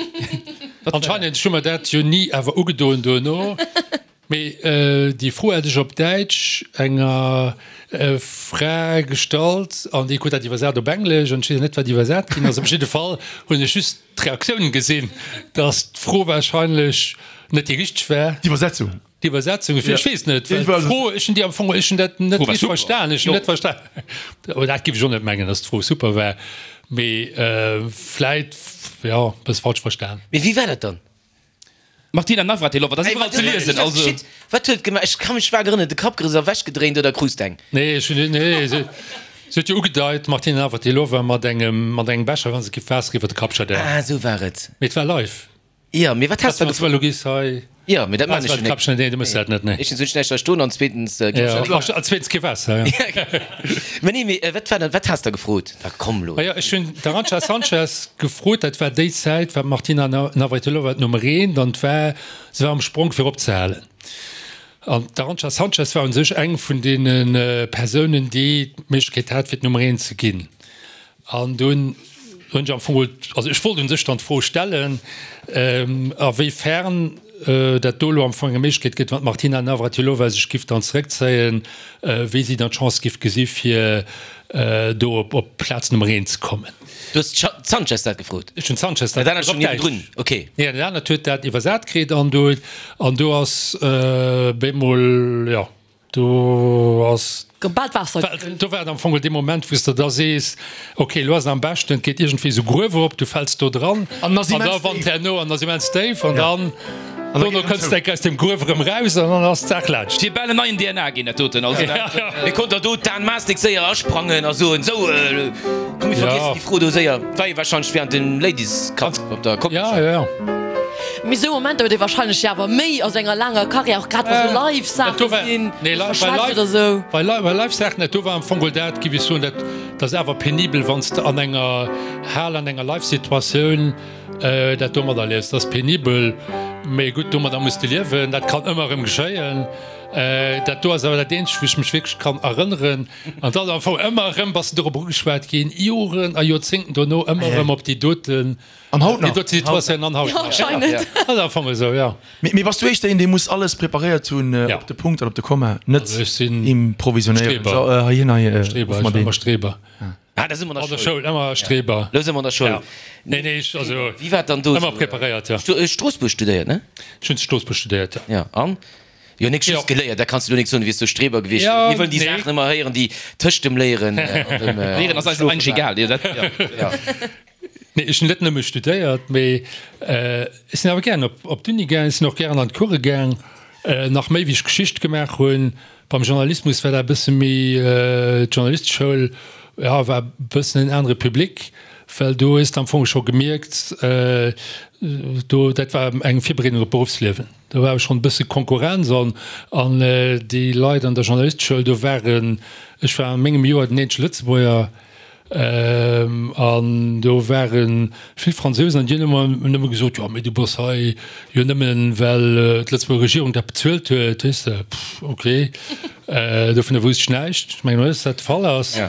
Anscheinend. Ech hu mer dat jo ni awer ugedoen duerno. Mee déi Fro hat ech op Däitsch enger Fra gestallt an déi krut dat iwwersat op Englesch an ech weess net, wat iwwersat ginn ass. Op jidde Fall hunn ech just d'Reaktioun gesinn, dass d'Fro wahrscheinlech net déi richteg war. D'Iwwersetzung. D'Iwwersetzung, ech weess net, well d'Fro, ech hunn déi am Fong, ech hunn dat net richteg verstan, ech hunn net verstan, oh dat géif ech och net mengen, dass d'Fro super war, mee vläit, jo, e bësse falsch verstan. Mee wéi war dat dann? Martina Navratilova, dat ass iwwerall ze liesen, also. Wat huet et gemaach? Ech ka mech vag erënneren, de Kapp gerësst a ewechgedréint oder krus de eng? Nee, ech hunn, nee, se huet jo ugedeit, d'Martina Navratilova, mat engem, mat engem Becher, wann se giff Waasser iwwer de Kapp schëdden. Ah, esou war et. Mee et war live. Jo, mee wat has de da gefrot? Elo gees hei. Jo, mee dat maan ech jo net. Nee, du mëss dat net, nee. Éischtens hunn ech näischt hei stoen an zweetens ginn ech net. Jo, an zweetens kee Waasser, jo. Mä nee, mee wat war dann, wat has de gefrot? Da komm lo. Majo, ech hunn d'Arantxa Sanchez gefrot, dat war déi Zäit, war d'Martina Navratilova d'Nummer eent an war, se war am Spronk fir opzehalen. An d'Arantxa Sanchez war u sech eng vun deene Persounen, déi d'Méiglechkeet hat, fir d'Nummer eent ze ginn. An dunn hunn ech am Fong, also ech wollt u sech dann d'Fro stellen, a wéi fern dat do elo am Fong eng Méiglechkeet gëtt, wann d'Martina Navratilova sech giff dann zeréckzéien, wéi si dann d'Chance giff gesi fir do op Plaz Nummer eent ze kommen. Du hues d'Sanchez dat gefrot? Ech hunn d'Sanchez dat Dat anert stoung niewendrun, ok. Nee, dat anert huet dat iwwersat kritt an do, an do ass bemol, jo. Do ass. Gouf bal d'Waasser. Do war et am Fong dee Moment, wou s de da sees, ok, elo ass et am beschten, et geet iergendwéi esou Gruef erop, du fäls do dran An ass an da immens wann déif. herno an ass immens déif an dann dono kënns de enk aus dem Gruef erëm raus an dann ass d'Saach laanscht. Wier bal en neien DNA ginn, dat doten. Also dat. Mir konnt der do d'Dan Maasdijk séier asprangen a soen, sou, komm mir vergiessen déi Fro do séier. War jo wahrscheinlech während dem Ladies Cup op der Coque. Ja, ja, ja. Mee sou Momenter huet ee wahrscheinlech jo awer méi a senger laanger Karriär, och grad wa sou live Saache sinn, Nee, wou bei verschwätzt live, oder sou. bei live, bei live Saachen, dat do war am Fong geholl dat, giff ech soen, dat, dat ass awer penibel, wann s de an enger Hal, an enger live Situatioun dat do materliefs. Dat ass penibel, mee gutt, domadder muss de liewen, dat kann ëmmer erëm geschéien. Dat do ass awer dat eenzegt, wou ech mech wierklech kann erënneren. An dann am Fong ëmmer erëm bass de dorop ugeschwat ginn, Joren a Joerzéngten dono, ëmmer erëm op déi doten. An haut nach. Déi dote Situatioun an haut nach. Anscheinend. Ass am Fong esou, jo. Mee bass du éischter een, dee muss alles preparéiert hunn, op de Punkt an op de Komma, net improvisionéieren? Streber. So, heihin, hei, Streber, ruf mer ech war deen. ëmmer Streber. Ah, da si mer an An der der Schoul. Schoul ëmmer Streber. Lo si mer an der Schoul. Ja. Nee, nee, ech, also. Wéi war et dann do? Ëmmer preparéiert, jo. Stroossbuerg studéiert, ne? Ech hunn zu Stroossbuerg studéiert, jo. Ja, an? Jo, nik just geléiert, dat kanns du lo nik soen, du wiers do Streber gewiescht. Ja, Mir wëllen déi nee. Saachen ëmmer héieren, déi tëscht dem Léieren an dem. Léieren ass eis eigentlech egal, jo, dat, jo. Nee, ech hunn net nëmme studéiert, mee ech sinn awer gären op, op d'Uni gaang, ech sinn och gären an d'Course gaang, nach méi wéi ech Geschicht gemaach hunn. Beim Journalismus war dat e bësse méi, d'Journalisteschoul, jo, war e bëssen en anere Public, well do hues de am Fong scho gemierkt, do, dat war eng Virbereedung op d'Beruffsliewen. Do war schonn e bësse Konkurrenz an, an déi Leit an der Journalisteschoul, do waren, ech war a mengem Joer den eenzege Lëtzebuerger, An do ware vill Fransousen an déi hunn ëmmer nëmme gesot, jo mee du bass hei jo nëmmen, well d'Lëtzebuerger Regierung dat bezuelt huet, weess de. Pff, ok. Dovunner wousst ech näischt. Ech mengen net, dass dat de Fall ass.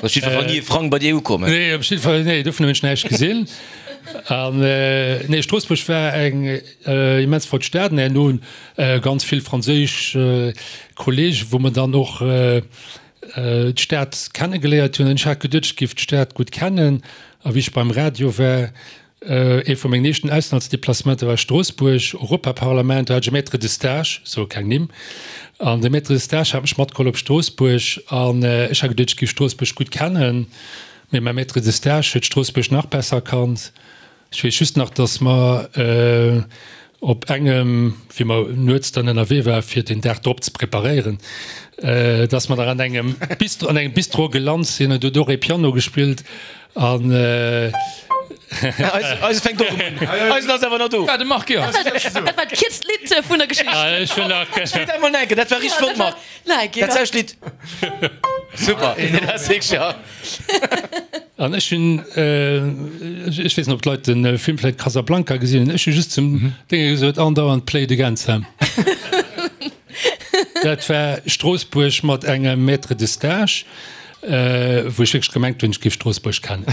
Op jiddwer Fall ni e Frang bei dir ukommen. Nee, op jiddwer Fall, nee, dovunner hunn ech näischt gesinn. An nee, Stroossbuerg war eng immens flott Stad. An herno ganz vill franséisch Kollegen, wou mer dann och d'Stad kennegeléiert hunn. An ech hat geduet, ech géif d'Stad gutt kennen. A wéi ech beim Radio war, Ee vu mengen éischten Auslandsdeplacementer war Stroossbuerg, Europaparlament. Do hat ech e Maître de stage, ech soe keng Nimm, an de Maître de stage hat mech matgeholl op Stroossbuerg an ech hat geduet, ech géif Stroossbuerg gutt kennen, mee mäi Maître de stage huet Stroossbuerg nach besser kannt. Ech weess just nach, datt mer op engem, wéi mer nuets dann ënnerwee war fir den Dag drop ze preparéieren, datt mer nach an engem Bistro, an engem Bistro gelant sinn an do huet och ee Piano gespillt An Eise fänkt och un. Eisen ass awer nach do. Ah, de Marc, jo. Dat war d'kierzt Lidd vun der Geschicht. Ech hunn nach. Spillt emol enke, dat war richteg flott, Marc. Dat selwecht Lidd. Super, dat ass wierklech, jo. An ech hunn, ech weess net, ob d'Leit de Film vläicht Casablanca gesinn hunn, ech hu just zum Dénge gesot, andauernd Play it again, Sam. Dat war Stroossbuerg mat engem Maître de stage, wou ech wierklech gemengt hunn, ech géif Stroossbuerg kennen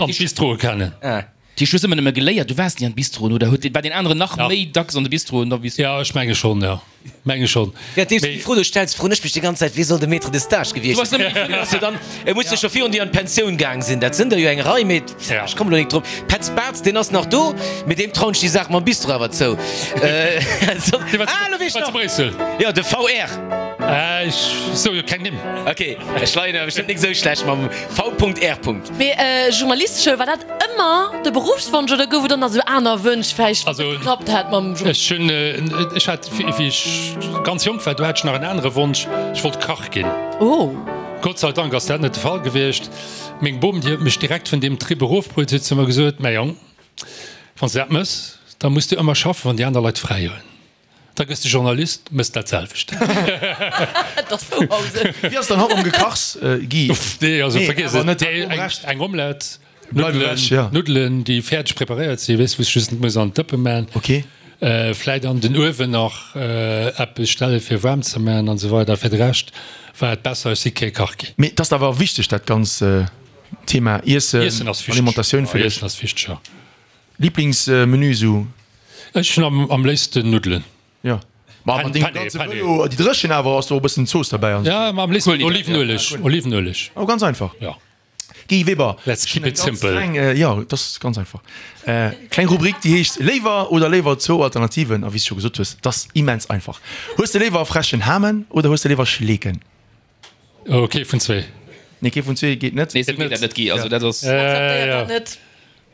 an d'Bistroe kennen. Déi ech hu se ëmmer nëmme geléiert, du waars ni an d'Bistroen, oder huet, war deen aneren nach méi dacks an de Bistroen da wéi s du? Jo, ech menge schonn, jo, menge schonn. Währenddeems du déi Fro do stells, froen ech mech déi ganz Zäit, Wie soll de Maître de stage gewiescht sinn? Deen ass jo dann, e muss jo scho virun dir an d'Pensioun gaang sinn. Dat sinn der jo eng Rei, mee ech kommen elo nik drop. Petz Bartz, deen ass nach do, mee deem trauen ech déi Saach mam Bistro awer zou. Ah, elo weess ech nach! Jo, de VR. Ech soe jo keng Nimm. Ok, ech leien awer bestëmmt nik esou schlecht mam V.R. Mee Journalisteschoul, war dat ëmmer de Beruffswonsch oder gouf et och nach esou aner Wënsch vläicht, wat net geklappt hat mam Ech hunn, ech hat, wéi ech ganz jonk war, do hat ech nach en anere Wonsch, ech wollt Kach ginn. Oh. Gott sei Dank ass dat net de Fall gewiescht. Meng Bom, déi huet mech direkt vun deem Trip erofbruet, huet zu mer gesot, Mäi Jong, wann s de dat mëss, da muss de ëmmer schaffen, wann déi aner Leit fräi hunn. Da gëss de Journalist, mëss dat selwecht. Dat ass Wouhausen. Wéi ass dann haut mam Gekachs, Guy? Uff, nee, also vergiess et. Net eng Omelette, Bleif ewech, ja. Nuddelen, déi fäerdeg preparéiert sinn, weess, wou s just net muss an d'Dëppe man. Ok. Vläit an den Uewen nach eppes stelle fir waarm ze man an esou weider. Fir de Rescht war et besser, ech si kee Kach ginn. Mee et ass awer wichteg, dat ganz Thema Iessen, Iessen ass wichteg, Alimentatioun fir dech. Iessen ass wichteg, jo. Liblingsmenü esou? Ech hunn am léifsten Nuddelen. Jo, ma mat dengem ganze Vëlo, déi dréchen awer, ass do och e bëssen Zooss derbäi an esou. Ja, ma am léifsten Olivenueleg, Olivenueleg. Oh, ganz einfach. Jo. Guy Weber, Let's keep it simple. Kleng, jo, dat ass ganz einfach. Kleng Rubrik, déi heescht Léiwer oder léiwer zwou Alternativen. A wéi s de scho gesot hues, dat ass immens einfach. Hues de léiwer frechen Hamen oder hues de léiwer Schleeken? Oh, kee vun zwee. Nee, kee vun zwee geet net. Nee, esou geet dat net, Guy. Also dat ass. Akzeptéiert dat net.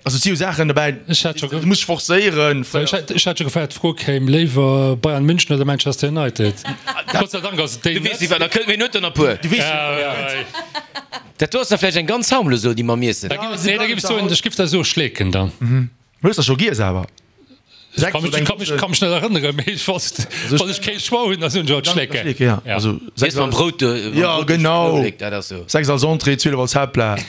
Also et si jo Saachen dobäi, Ech hat scho du muss dech forcéieren. Ech hat, ech hat scho gefaart, d'Fro kéim, léiwer Bayern München oder Manchester United? Gott sei Dank ass et déi Du weess net. iwwer, da kënnt mir net der puer. Du weess jo. Dat do ass da vläicht eng ganz harmlos elo, déi mer miessen. Da giff, nee, da giff ech soen, ech giff da soe Schleeken dann. Hues der scho giess awer? Ech ka mech, ka mech, ka mech net erënneren, mee ech wann wann ech kee Choix hunn, da soen ech alt Schleeken. Schleeken, ja. Ja. Also Weess mam Brout do, mam Ja, Brout duerch genau. Knuewelek, dat ass sou. 6 als Entrée, 12 als Haaptplat.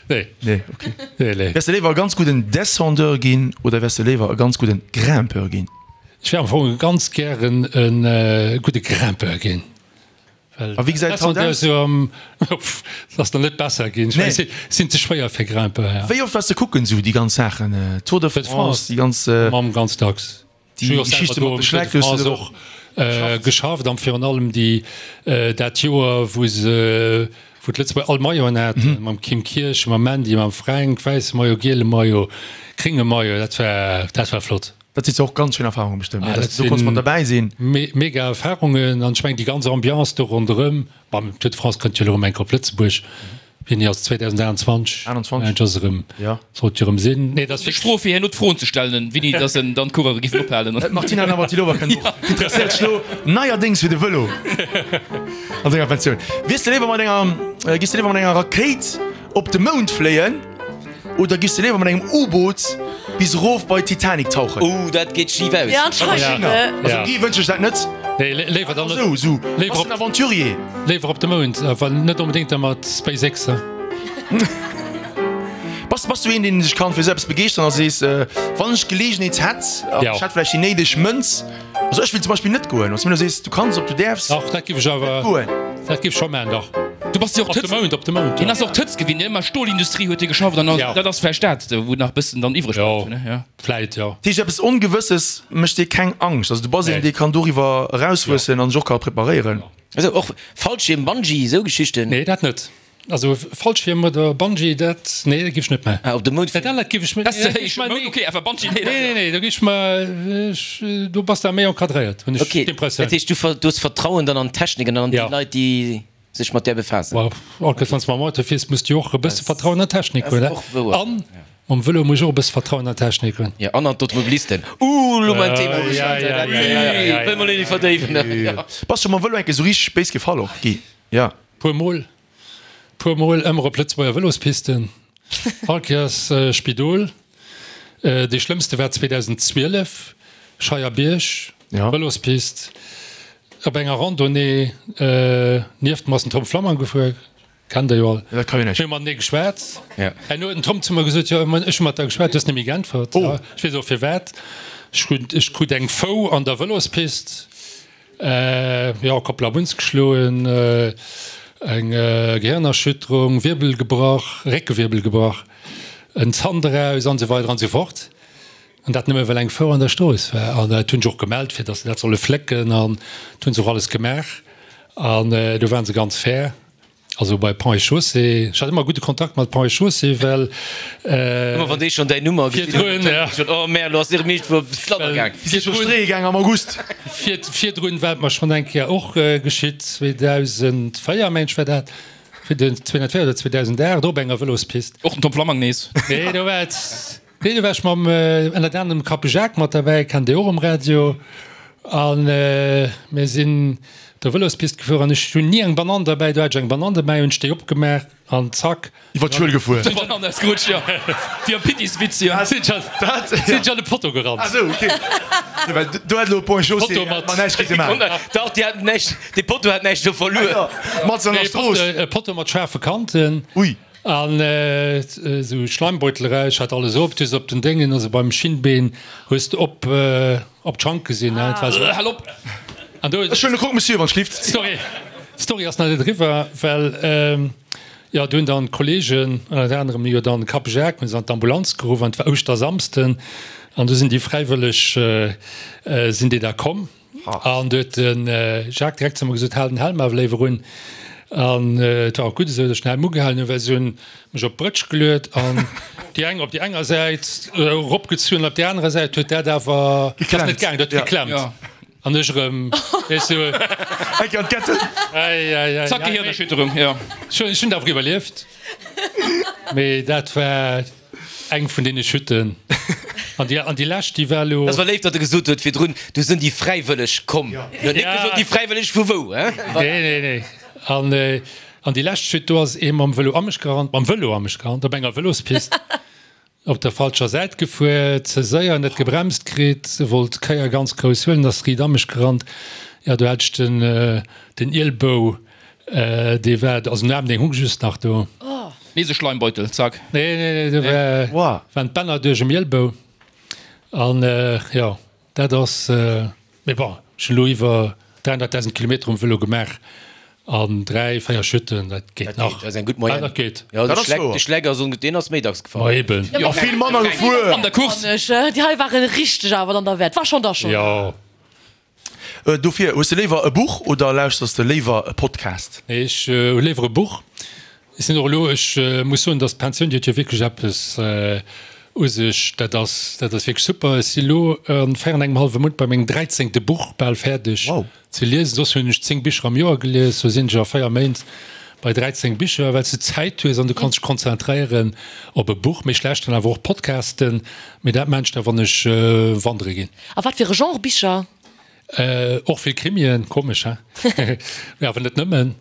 Nee. Nee, okay. Nee, nee. Wäers de léiwer e ganz gudden Descendeur ginn oder wäers de léiwer e ganz gudden Grimpeur ginn? Ech wär am Fong ganz gären e gudde Grimpeur ginn. A wéi gesäit et haut aus? Et ass nach net besser ginn. Ech mengen, et sinn ze schwéier fir Grimpeur, ja. Wéi oft waars de kucken esou déi ganz Saachen, Tour de France, déi ganz. Mam ganz dacks. Déi Geschichte mat de Schleck hues du och geschafft an virun allem déi dat Joer wou se wou d'Lëtzebuerger all Mailloten haten, mam Kim Kirchen, mam Mandy, mam Fränk, wäisse Maillot, giele Maillot, grénge Maillot, dat war dat war flott. Dat si och ganz schéin Erfarunge bestëmmt, ne? Dass du do konns mat derbäi sinn. Mega Erfarungen an ech mengen déi ganz Ambiance do ronderëm. Bon, d'Tour de France kënnt jo elo erëm eng Kéier op Lëtzebuerg. Wéini ass 2021? 21. Ass erëm, ja. Sollt jo erëm sinn. Nee, dat ass wierklech. Strof fir herno d'Froen ze stellen, wéini dass en dann d'Coureure giffen ophalen. D'Martina Navratilova kënnt och. Interesséiert sech elo neierdéngs fir de Vëlo an senger Pensioun. Wiers de léiwer mat enger, giss de léiwer mat enger Rakéit op de Mound fléien? Oder giffs de léiwer mat engem U-Boot bis erof bei d'Titanic tauchen? Ooh, dat geet schif aus. Ja, anscheinend. Also Guy wënsch ech dat net. Nee, léiwer dann net. Esou, esou. Bass en Aventurier. Léiwer op de Mound, awer net onbedéngt da mat SpaceX. Bass. Bass, bass du een, deen sech kann fir esou eppes begeeschteren a sees, wann ech d'Geleegenheet hätt an ech hätt vläicht déi néideg Mënz, also ech wéilt zum Beispill net goen, wann s du mir elo sees, du kanns op du däerfs Dach, dat giff ech awer, net goen. dat giff ech scho maachen, dach. Du bass jo och Op de d'Hëtzt, Mound, op de Mound, hien jo. ass och d'Hëtzt gewinnt, ne? Ëmmer Stolindustrie huet hie geschafft an Ja. dat ass vläicht dat, wou nach bëssen dann iwwreg Jo, bleift, ne? Ja. vläit, jo. Dat heescht, eppes Ongewësses mécht dir keng Angscht, also du bass een, Nee. dee kann doriwwer erauswuessen an sech och ka preparéieren. Also och Fallschierm, Bungee, esou Geschichten? Nee, dat net. Also Fallschierm oder Bungee, dat, nee, dat giff ech net maachen. Ah, op de Mound Dat anert giff ech, Dat nee, ass nee, Mound, ok, awer Bungee, nee, dat. Nee, nee, do giff ech mer, ech, do bass de méi encadréiert, hunn ech Ok, d'Impressioun. dat heescht, du ver, du hues Vertrauen dann an d'Technik an an déi Ja. Leit, déi sech mat där befaassen. Well all Kéiers, wann s de mam Auto fiers, muss de jo och e bësse Vertrauen an d'Technik hunn, Dat ass och wouer. An mam Vëlo muss ech och e bësse Vertrauen an d'Technik hunn. Ja, an an d'Automobilisten. Ouh, elo mein Thema Ja, ja, ja, ja, ja, ja. Wëll mer lo net verdéiwen. Bass scho mam Vëlo eng Kéier sou richteg béis gefall och, Guy? Ja. Puer Mol. Puer Mol ëmmer op Lëtzebuerger Vëlospisten, all Kéiers Spidol. Dee schlëmmste war 2012, Scheierbierg, Vëlospist, op enger Randonnée. Nieft mer ass den Tom Flammang gefuer, kennt der jo all. Dat ka jo näischt. Mir hu matenee geschwat. Herno huet den Tom zu mer gesot, jo, ech hu mat der geschwat, du hues net méi geäntwert. Ech weess och firwat. Ech krut eng Fou an der Vëlospist. Jo, Kopp Labuns geschloen, eng Gehirnerschütterung, Wierbel gebrach, Réckewierbel gebrach, en Zant eraus an esou weider an esou fort. An dat nëmme well eng Fou an der Strooss war. An dat hunn ech och gemellt, fir datt se dat solle flécken an dat hu se och alles gemaach. An do waren se ganz fair. Also bei Ponts et Chaussées, ech hat ëmmer gudde Kontakt mat Ponts et Chaussées, well. Ëmmer wann déi schonn däin Nummer gesinn hunn, ja. Schon, oh merde, lo ass erëm iergendwou op d'Fladder gaang. Si si scho streeë gaang am August. Virdrun war et mer schonn eng Kéier och geschitt, 2004 mengen ech war dat, 2004 oder 2008, och op enger Vëlospist. Och den Tom Flammang nees. Nee, do war et. Nee, do war ech mam ënnert anerem Kappe Jacques mat derbäi, kennt Dir och um Radio. A mir sinn der Vëlospist gefuer an ech hunn ni eng Banann derbäi. Do hat ech eng Banann derbäi, hunn ech déi opgemaach an zack. Iwwer d'Schuel gefuer. D'Banann ausgerutscht, jo. Wéi am Pittiswitz, jo. Sinn ech an de Potto gerannt. Ah sou, ok. Well do hätt elo Ponts et Chaussées Potto mat. mat näischt kritte maachen. Dach, déi haten näischt, dee Potto hat näischt do verluer. Mat an der Strooss. E Potto mat schaarfe Kanten. Ui. An esou Schleimbeutel eraus, ech hat alles op, du hues op den Déngen, also beim Schinnbeen hues de op op d'Schank gesinn, ne, et war esou. Hal op! An do. Ech huelen e Krog, Monsieur, wann schlift. D'Story, d'Story ass nach net eriwwer, well jo, do hunn dann d'Kollegen, ënnert anerem jo dann de Kapp Jacques, hunn se an d'Ambulanz geruff an et war Ouschtersamsden an du sinn déi Fräiwëlleg sinn déi da komm. An du huet de Jacques direkt zu mer gesot, Hal den Helm awer léiwer un. An et war och gutt esou, datt ech den Helm ugehalen hunn, well se hunn mech op d'Brëtsch geluet an déi eng op déi enger Säit eropgezunn an op déi anerer Säit huet dat awer, dat ass net gaangen, dat huet geklemmt. An ech erëm, weess du. Eng an d'Ketten. Ei, ei, ei. Zack, Gehirnerschütterung, jo. Ech hunn et awer iwwerlieft, mee dat war. Eng vun deene Chuten. An déi, an déi lescht, déi war elo. Dat war léif, datt e gesot huet virdrun, do sënn déi Fräiwëlleg komm. En huet net gesot, déi Fräiwëlleg vu wou, hein? Nee, nee, nee. An, an déi lescht Chute, do ass ee mam Vëlo a mech gerannt, mam Vëlo a mech gerannt, op enger Vëlospist, op der falscher Säit gefuer, ze séier, net gebremst kritt, wollt d'Kéier ganz grouss huelen, ass riit a mech gerannt. Jo, do hat ech den, den Ielbou Dee war, also den Aarm deen hung just nach do. Nees e Schleimbeutel, zack. Nee, nee, nee, do war, waren d'Bänner duerch em Ielbou. An jo, dat ass, mee bon, ech hunn elo iwwer 300.000 Kilometer um Vëlo gemaach an 3, 4 Chuten, dat geet nach. Dat ass eng gutt Moyenne. Dat geet. Jo, de Schleck, de Schleck ass, deen ass méi dacks gefall. Ma eben. A vill manner gefuer. An der Course. Déi hei waren richteg awer dann derwäert. War schonn da schonn. Jo. Dofir, hues de léiwer e Buch oder lauschters de léiwer e Podcast? Nee, ech hu léiwer e Buch. Ech sinn och elo, ech muss soen, datt d'Pensioun, déi huet jo wierklech eppes u sech, dat ass, dat ass wierklech super. Ech si elo a 4 an engem hallwe Mount bei mengem dräizéngte Buch bal fäerdeg ze liesen. Soss hunn ech 10 Bicher am Joer gelies, lo sinn ech a 4 Méint bei 13 Bicher, well s de Zäit hues an du kanns dech konzentréieren op e Buch. Mee ech lauschteren awer och Podcasten, mee dat maan ech da wann ech wandere ginn. A wat fir e Genre Bicher? Och vill Krimien, komesch he? Mee awer net nëmmen.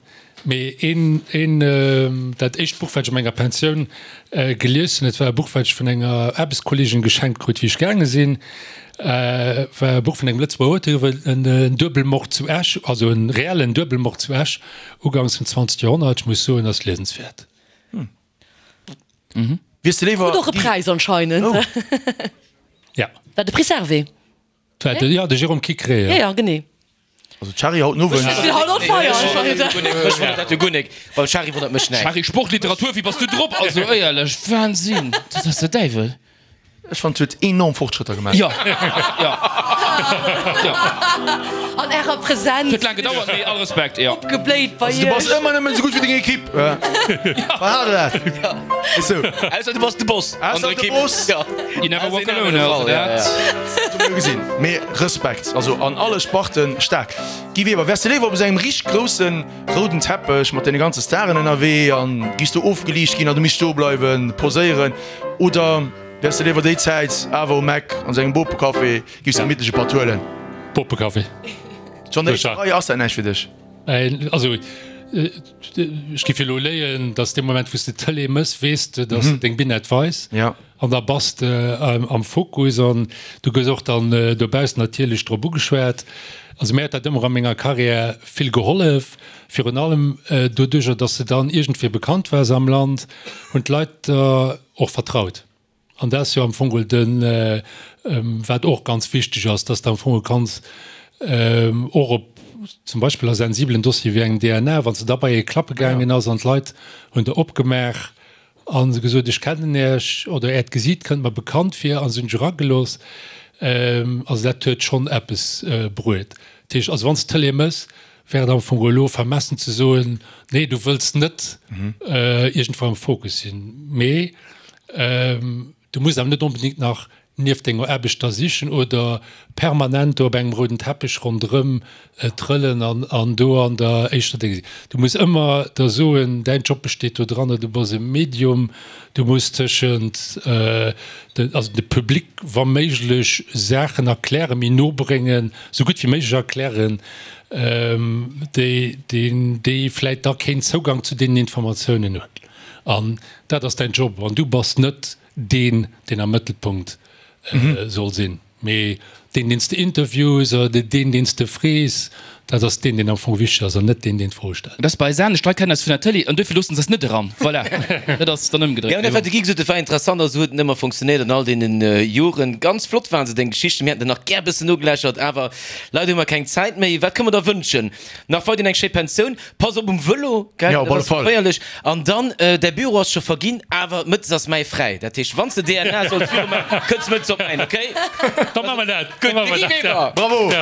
Mee een, een, dat éischt Buch wat ech a menger Pensioun gelies hunn, dat war e Buch wat ech vun enger Aarbechtskolleegin geschenkt krut wéi ech gaange sinn, war e Buch vun engem Lëtzebuerger Auteur iwwer en Duebelmord zu Esch, also en reellen Duebelmord zu Esch ugangs vum 20. Joerhonnert. Ech muss soen, ass liesenswäert. Wiers de léiwer. Krut och e Präis anscheinend. Oh. Ja. War de Prix Servais. Dat war de, ja, de Jérôme Quiqueré, ja. Ja, ja, genee. Also d'Shari haut den Owend. Ech sinn haut on fire anscheinend. Mech wonnert dat jo guer nek. Beim Shari wonnert mech näischt. Shari, Sport, Literatur, wéi bass du drop? Also éierlech, Wahnsinn, dat ass der Däiwel. Ech fannen, huet enorm Fortschrëtter gemaach. Jo, jo, jo. An ärer Präsenz. Huet laang gedauert, mee all Respekt, jo. Opgebléit bei Also du bass iech. ëmmer nëmmen esou gutt wéi deng Equipe. Verhale dat. Ist sou. Ausser du bass de Boss an Ausser der de Equipe. Boss. Jo. You never walk alone, also dat. Dat hu mir gesinn. Mee Respekt, also an alle Sparten staark. Guy Weber, wäers de léiwer op esou engem richteg groussen rouden Teppech mat deene ganze Staren ënnerwee an giffs do ofgeliicht ginn an du misst stoe bleiwen, poséieren, Oder wäers de léiwer déi Zäit awer um Eck an sengem Bopecafé giffs gemittlech e Patt huelen? Bopecafé. Schonn der éischter Rei, ass dat näischt fir dech? Also ech giff elo léien, dass dee Moment wou s de d'Tëlee mëss, weess de, dass de deng Binett weis an da bass de am Fokus an du gëss och dann dobaussen natierlech drop ugeschwat. Also mir huet dat ëmmer a menger Karriär vill gehollef, virun allem doduercher, dass de dann iergendwéi bekannt waars am Land. Hunn d'Leit der och vertraut. An dat ass jo am Fong geholl de wat och ganz wichteg ass, dass de am Fong geholl kanns och op zum Beispill a sensibelen Dossiere wéi engem DNA, wann s de da bei ee klappe gaangen ass an d'Leit hunn der opgemaach a se gesot, ech kennen Iech oder Äert Gesiit kënnt mer bekannt vir a se hunn dech eragelooss. Also dat huet schonn eppes bruet. Dat heescht also, wann s de d'Tëlee mëss, Wär et am Fong elo vermessen ze soen, nee du wëlls net iergendwou am Fokus sinn, mee du muss awer net onbedéngt nach nieft denger Aarbecht da sichen oder permanent do op engem rouden Teppech ronderëm trëllen an do an der éischter Déng sinn. Du muss ëmmer der soen, däin Job besteet do dranner, du bass e Medium, du muss tëschent de, also de Public wa méiglech Saachen erklären, méi no bréngen, sou gutt wéi méiglech erklären, déi, déi vläit da keen Zougang zu deenen Informatiounen hunn. An dat ass däin Job. An du bass net deen, deen am Mëttelpunkt soll sinn, mee deen, deen s de interviews oder deen, deen s de frees, dat ass deen, deen am Fong wichteg ass an net deen, deen d'Froe stellt. Dat ass bei eis anescht. D'Leit kennen eis vun der Tëlee an duerfir loossen se eis net eran. Voilà, dat ass dann ëmgedréit. Jo, dat wat de Guy gesot huet, war interessant. Also huet net ëmmer funktionéiert an all deenen Joren. Ganz flott waren se, deng Geschichten. Mir hätten der nach gär e bëssen nogeläschert, awer Leider hu mer keng Zäit méi. Wat kënne mer der wënschen? Nach weiderhin eng schéi Pensioun. Pass op um Vëlo, gell? Ja, op Dat alle ass Fall. geféierlech. An dann, däi Büro ass scho verginn, awer mëttes ass mäi fräi. Dat heescht, wann s de DNA solls viru maachen, kënns mëttes op mäin, okay? Da maache mer dat. Gutt, de Guy Weber! Bravo!